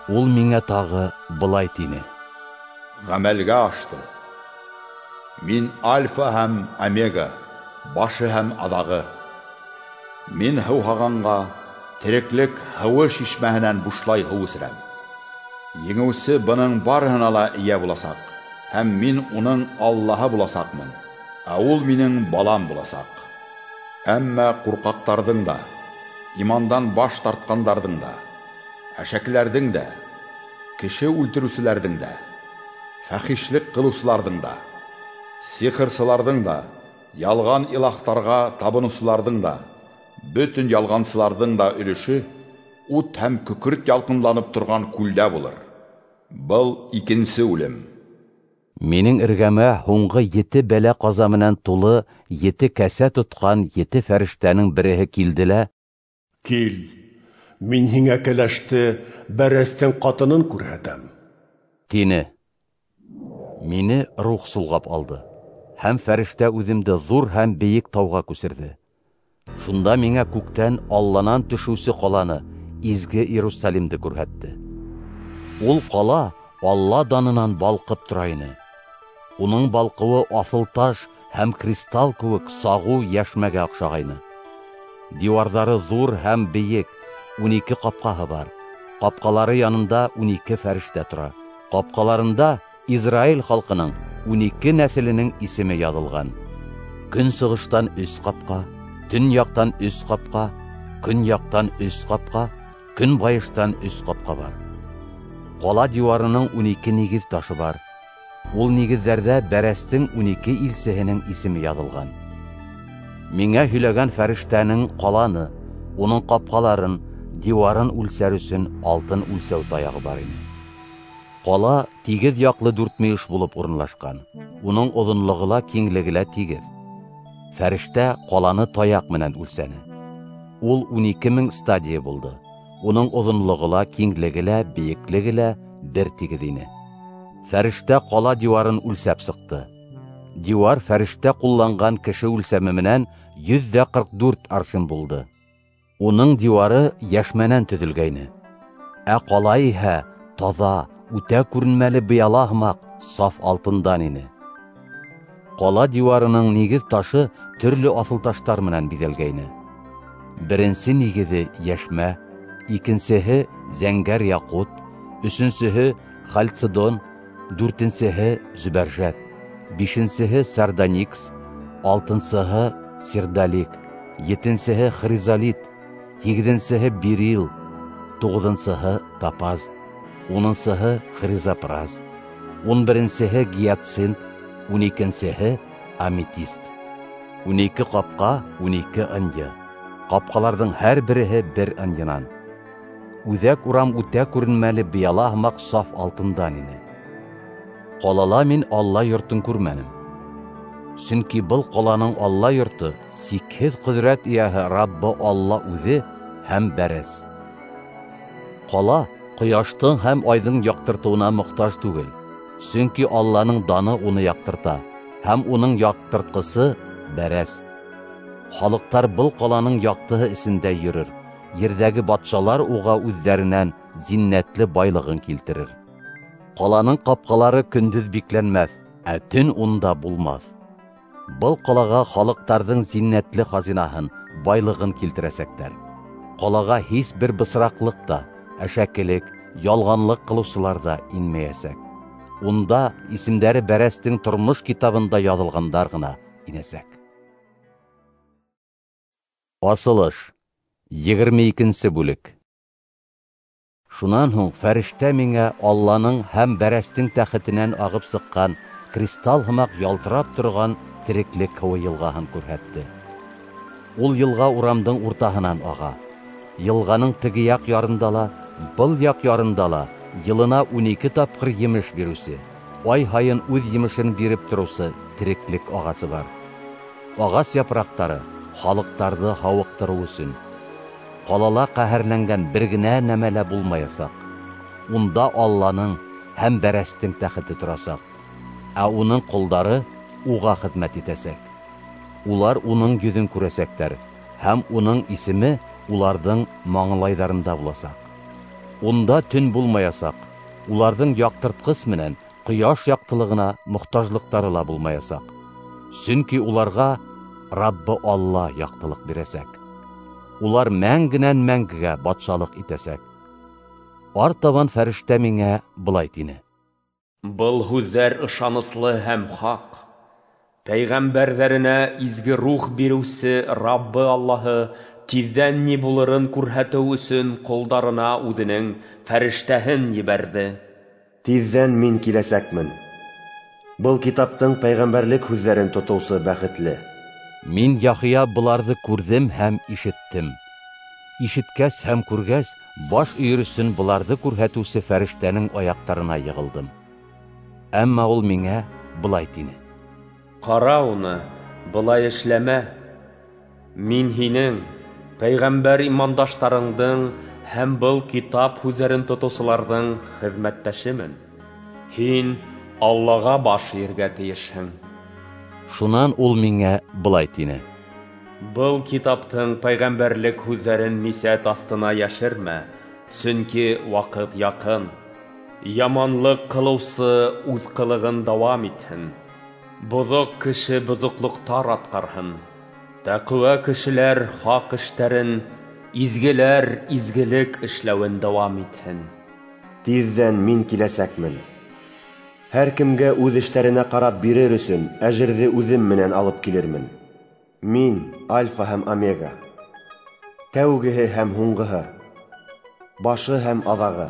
Ул миңә тағы былай тине: Ғәмәлгә ашты. Мин Альфа һәм Омега, башы һәм аҙағы. Мин һыуһағанға тереклек һыуы шишмәһенән бушлай һыу эсерәм. Еңеүсе бының барыһына ла эйә буласаҡ, һәм мин уның Аллаһы буласаҡмын, ә ул минең балам буласаҡ. Әммә ҡурҡаҡтарҙың да, имандан баш тартҡандарҙың да, әшәкеләрҙең дә, кеше үлтереүселәрҙең дә, фәхишлек ҡылыусыларҙың да, сихырсыларҙың да, ялған илаһтарға табыныусыларҙың да, бөтөн ялғансыларҙың да өлөшө ут һәм көкөрт ялҡынланып торған күлдә булыр. Был икенсе үлем. Минең эргәмә һуңғы ете бәлә-ҡаза менән тулы ете кәсә тотҡан ете фәрештәнең береһе килде лә: "Кил, мин һиңә кәләште, бәрәстең ҡатынын күрһәтәм", тине. Мине рух солғап алды, һәм фәрештә үҙемде ҙур һәм бейек тауға күсерҙе. Шунда миңә күктән Алланан төшөүсе ҡаланы, изге Иерусалимде күрһәтте. Ул ҡала Алла данынан балҡып тора ине. Уның балҡыуы аҫылташ һәм кристалл кеүек сағыу йәшмәгә оҡшағайны. Диуарҙары ҙур һәм бейек, ун ике ҡапҡаһы бар. Ҡапҡалары янында ун ике фәрештә тора. Ҡапҡаларында Израиль халҡының ун ике нәҫеленең исеме яҙылған. Көнсығыштан өс ҡапҡа, төньяҡтан өс ҡапҡа, көньяҡтан өс ҡапҡа, көнбайыштан өс ҡапҡа бар. Ҡала диуарының ун ике нигеҙ ташы бар. Ул нигеҙҙәрҙә бәрәстең ун ике илсеһенең исеме яҙылған. Миңә һөйләгән фәрештәнең ҡаланы, уның ҡапҡаларын, диуарын үлсәр өсөн алтын үлсәү таяғы бар ине. Ҡала тигеҙ яҡлы дүртмөйөш булып урынлашҡан. Уның оҙонлоғо ла, киңлеге лә тигеҙ. Фәрештә ҡаланы таяҡ менән үлсәне. Ул ун ике мең стадия булды. Уның оҙонлоғо ла, киңлеге лә, бейеклеге лә бер тигеҙ ине. Фәрештә ҡала диуарын үлсәп сыҡты. Диуар фәрештә ҡулланған кеше үлсәме менән йөҙ ҙә ҡырҡ дүрт аршин булды. Уның диуары йәшмәнән төҙөлгәйне. Ә ҡала иһә таҙа, үтә күренмәле быяла һымаҡ саф алтындан ине. Ҡала диуарының нигеҙ ташы төрлө аҫылташтар менән биҙәлгәйне. Беренсе нигеҙе йәшмә, икенсеһе зәңгәр яҡут, өсөнсөһө хальцедон, дүртенсеһе зөбәржәт, бишенсеһе сардоникс, алтынсыһы сердолик, етенсеһе хризолит, һигеҙенсеһе берил, туғыҙынсыһы топаз, унынсыһы хризопраз, ун беренсеһе гиацинт, ун икенсеһе аметист. Ун ике ҡапҡа, ун ике ынйы. Ҡапҡаларҙың һәр береһе бер ынйынан. Үҙәк урам үтә күренмәле быяла һымаҡ саф алтындан ине. Ҡалала мин Алла йортон күрмәнем. Сөнки был ҡаланың Алла йорто сикһеҙ ҡөҙрәт эйәһе Раббы Алла үҙе һәм бәрәс. Ҡала ҡояштың һәм айҙың яҡтыртыуына мохтаж түгел, сөнки Алланың даны уны яҡтырта, һәм уның яҡтыртҡысы бәрәс. Халыҡтар был ҡаланың яҡтыһы эсендә йөрөр, ерҙәге батшалар уға үҙҙәренән зиннәтле байлығын килтерер. Ҡаланың ҡапҡалары көндөҙ бикләнмәҫ, ә төн унда булмаҫ. Был ҡалаға халыҡтарҙың зиннәтле хазинаһын, байлығын килтерәсәктәр. Ҡалаға һис бер бысраҡлыҡ та, әшәкелек, ялғанлыҡ ҡылыусылар ҙа инмәйәсәк. Унда исемдәре бәрәстең тормош китабында яҙылғандар ғына инәсәк. Асылыш, егерме икенсе бүлек. Шунан һуң фәрештә миңә Алланың һәм бәрәстең тәхетенән ағып сыҡҡан кристалл һымаҡ ялтырап торған тереклек һыуы йылғаһын күрһәтте. Ул йылға урамдың уртаһынан аға. Йылғаның теге яҡ ярында ла, был яҡ ярында ла йылына ун ике тапҡыр емеш биреүсе, ай һайын үҙ емешен биреп тороусы тереклек ағасы бар. Ағас япраҡтары халыҡтарҙы һауыҡтырыу өсөн. Ҡалала ҡәһәрләнгән бер генә нәмә лә булмаясаҡ. Унда Алланың һәм бәрәстең тәхете торасаҡ, ә уның ҡолдары уға хеҙмәт итәсәк. Улар уның йөҙөн күрәсәктәр, һәм уның исеме уларҙың маңлайҙарында буласаҡ. Унда төн булмаясаҡ, уларҙың яҡтыртҡыс менән ҡояш яҡтылығына мохтажлыҡтары ла булмаясаҡ. Сөнки уларға Раббы Алла яҡтылыҡ бирәсәк. Улар мәңгенән мәңгегә батшалыҡ итәсәк. Артабан фәрештә миңә былай тине: Был һүҙҙәр ышаныслы һәм хаҡ. Пәйғәмбәрҙәренә изге рух биреүсе Раббы Аллаһы тиҙҙән ни булырын күрһәтеү өсөн ҡолдарына үҙенең фәрештәһен ебәрҙе. Тиҙҙән мин киләсәкмен. Был китаптың пәйғәмбәрлек һүҙҙәрен тотоусы бәхетле. Мин Яхия быларҙы күрҙем һәм ишеттем. Ишеткәс һәм күргәс, баш өйөр өсөн быларҙы күрһәтеүсе фәрештәнең аяҡтарына йығылдым. Әммә ул миңә былай тине: Ҡара уны, былай эшләмә. Мин һинең, пәйғәмбәр имандаштарыңдың һәм был китап һүҙҙәрен тотоусыларҙың хеҙмәттәшемен. Һин Аллаға баш эйергә тейешһең. Шунан ул миңә былай тине: Был китаптың пәйғәмбәрлек һүҙҙәрен мисәт аҫтына йәшермә, сөнки ваҡыт яҡын. Яманлыҡ ҡылыусы үҙ ҡылығын дауам итһен, боҙоҡ кеше боҙоҡлоҡтар атҡарһын, тәҡүә кешеләр хаҡ эштәрен, изгеләр изгелек эшләүен дауам итһен. Тиҙҙән мин киләсәкмен. Һәр кемгә үҙ эштәренә ҡарап бирер өсөн әжерҙе үҙем менән алып килермен. Мин Альфа һәм Омега, тәүгеһе һәм һуңғыһы, башы һәм аҙағы.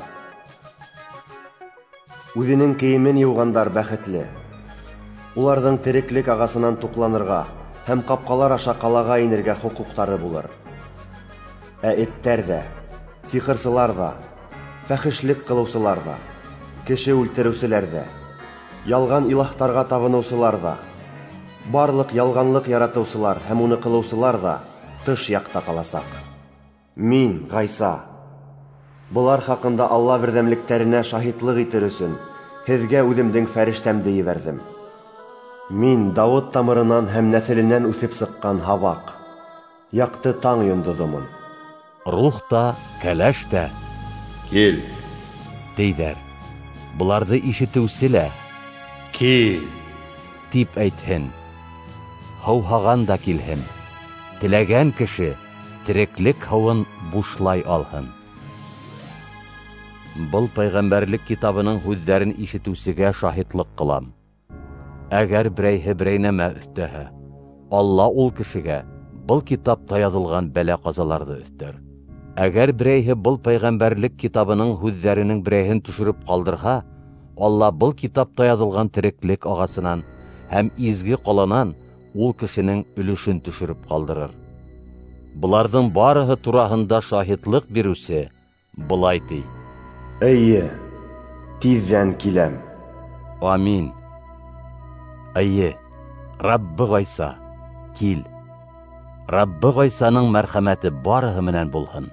Үҙенең кейемен йыуғандар бәхетле. Уларҙың тереклек ағасынан туҡланырға һәм ҡапҡалар аша ҡалаға инергә хоҡуҡтары булыр. Ә эттәр ҙә, сихырсылар ҙа, фәхешлек ҡылыусылар ҙа, кеше үлтереүселәр ҙә, ялған илаһтарға табыныусылар ҙа, барлыҡ ялғанлыҡ яратыусылар һәм уны ҡылыусылар ҙа тыш яҡта ҡаласаҡ. Мин, Ғайса, былар хаҡында Алла берҙәмлектәренә шаһитлыҡ итер өсөн һеҙгә үҙемдең фәрештәмде ебәрҙем. Мин Дауыт тамырынан һәм нәҫеленән үҫеп сыҡҡан һабаҡ, яҡты таң йондоҙомон. Рух та, кәләш тә «Кил!» тейҙәр. Быларҙы ишетеүсе лә «Кил!» тип әйтһен. Һыуһаған да килһен. Теләгән кеше тереклек һыуын бушлай алһын. Был пәйғәмбәрлек китабының һүҙҙәрен ишетеүсегә шаһитлыҡ ҡылам. Әгәр берәйһе берәй нәмә өҫтәһә, Алла ул кешегә был китапта яҙылған бәлә-ҡазаларҙы өҫтәр. Әгәр берәйһе был пәйғәмбәрлек китабының һүҙҙәренең берәйһен төшөрөп ҡалдырһа, Алла был китапта яҙылған тереклек ағасынан һәм изге ҡаланан ул кешенең өлөшөн төшөрөп ҡалдырыр. Быларҙың барыһы тураһында шаһитлыҡ биреүсе былай ти: Эйе, тиҙҙән киләм. Амин. Эйе, Раббы Ғайса, кил. Раббы Ғайсаның мәрхәмәте барыһы менән булһын.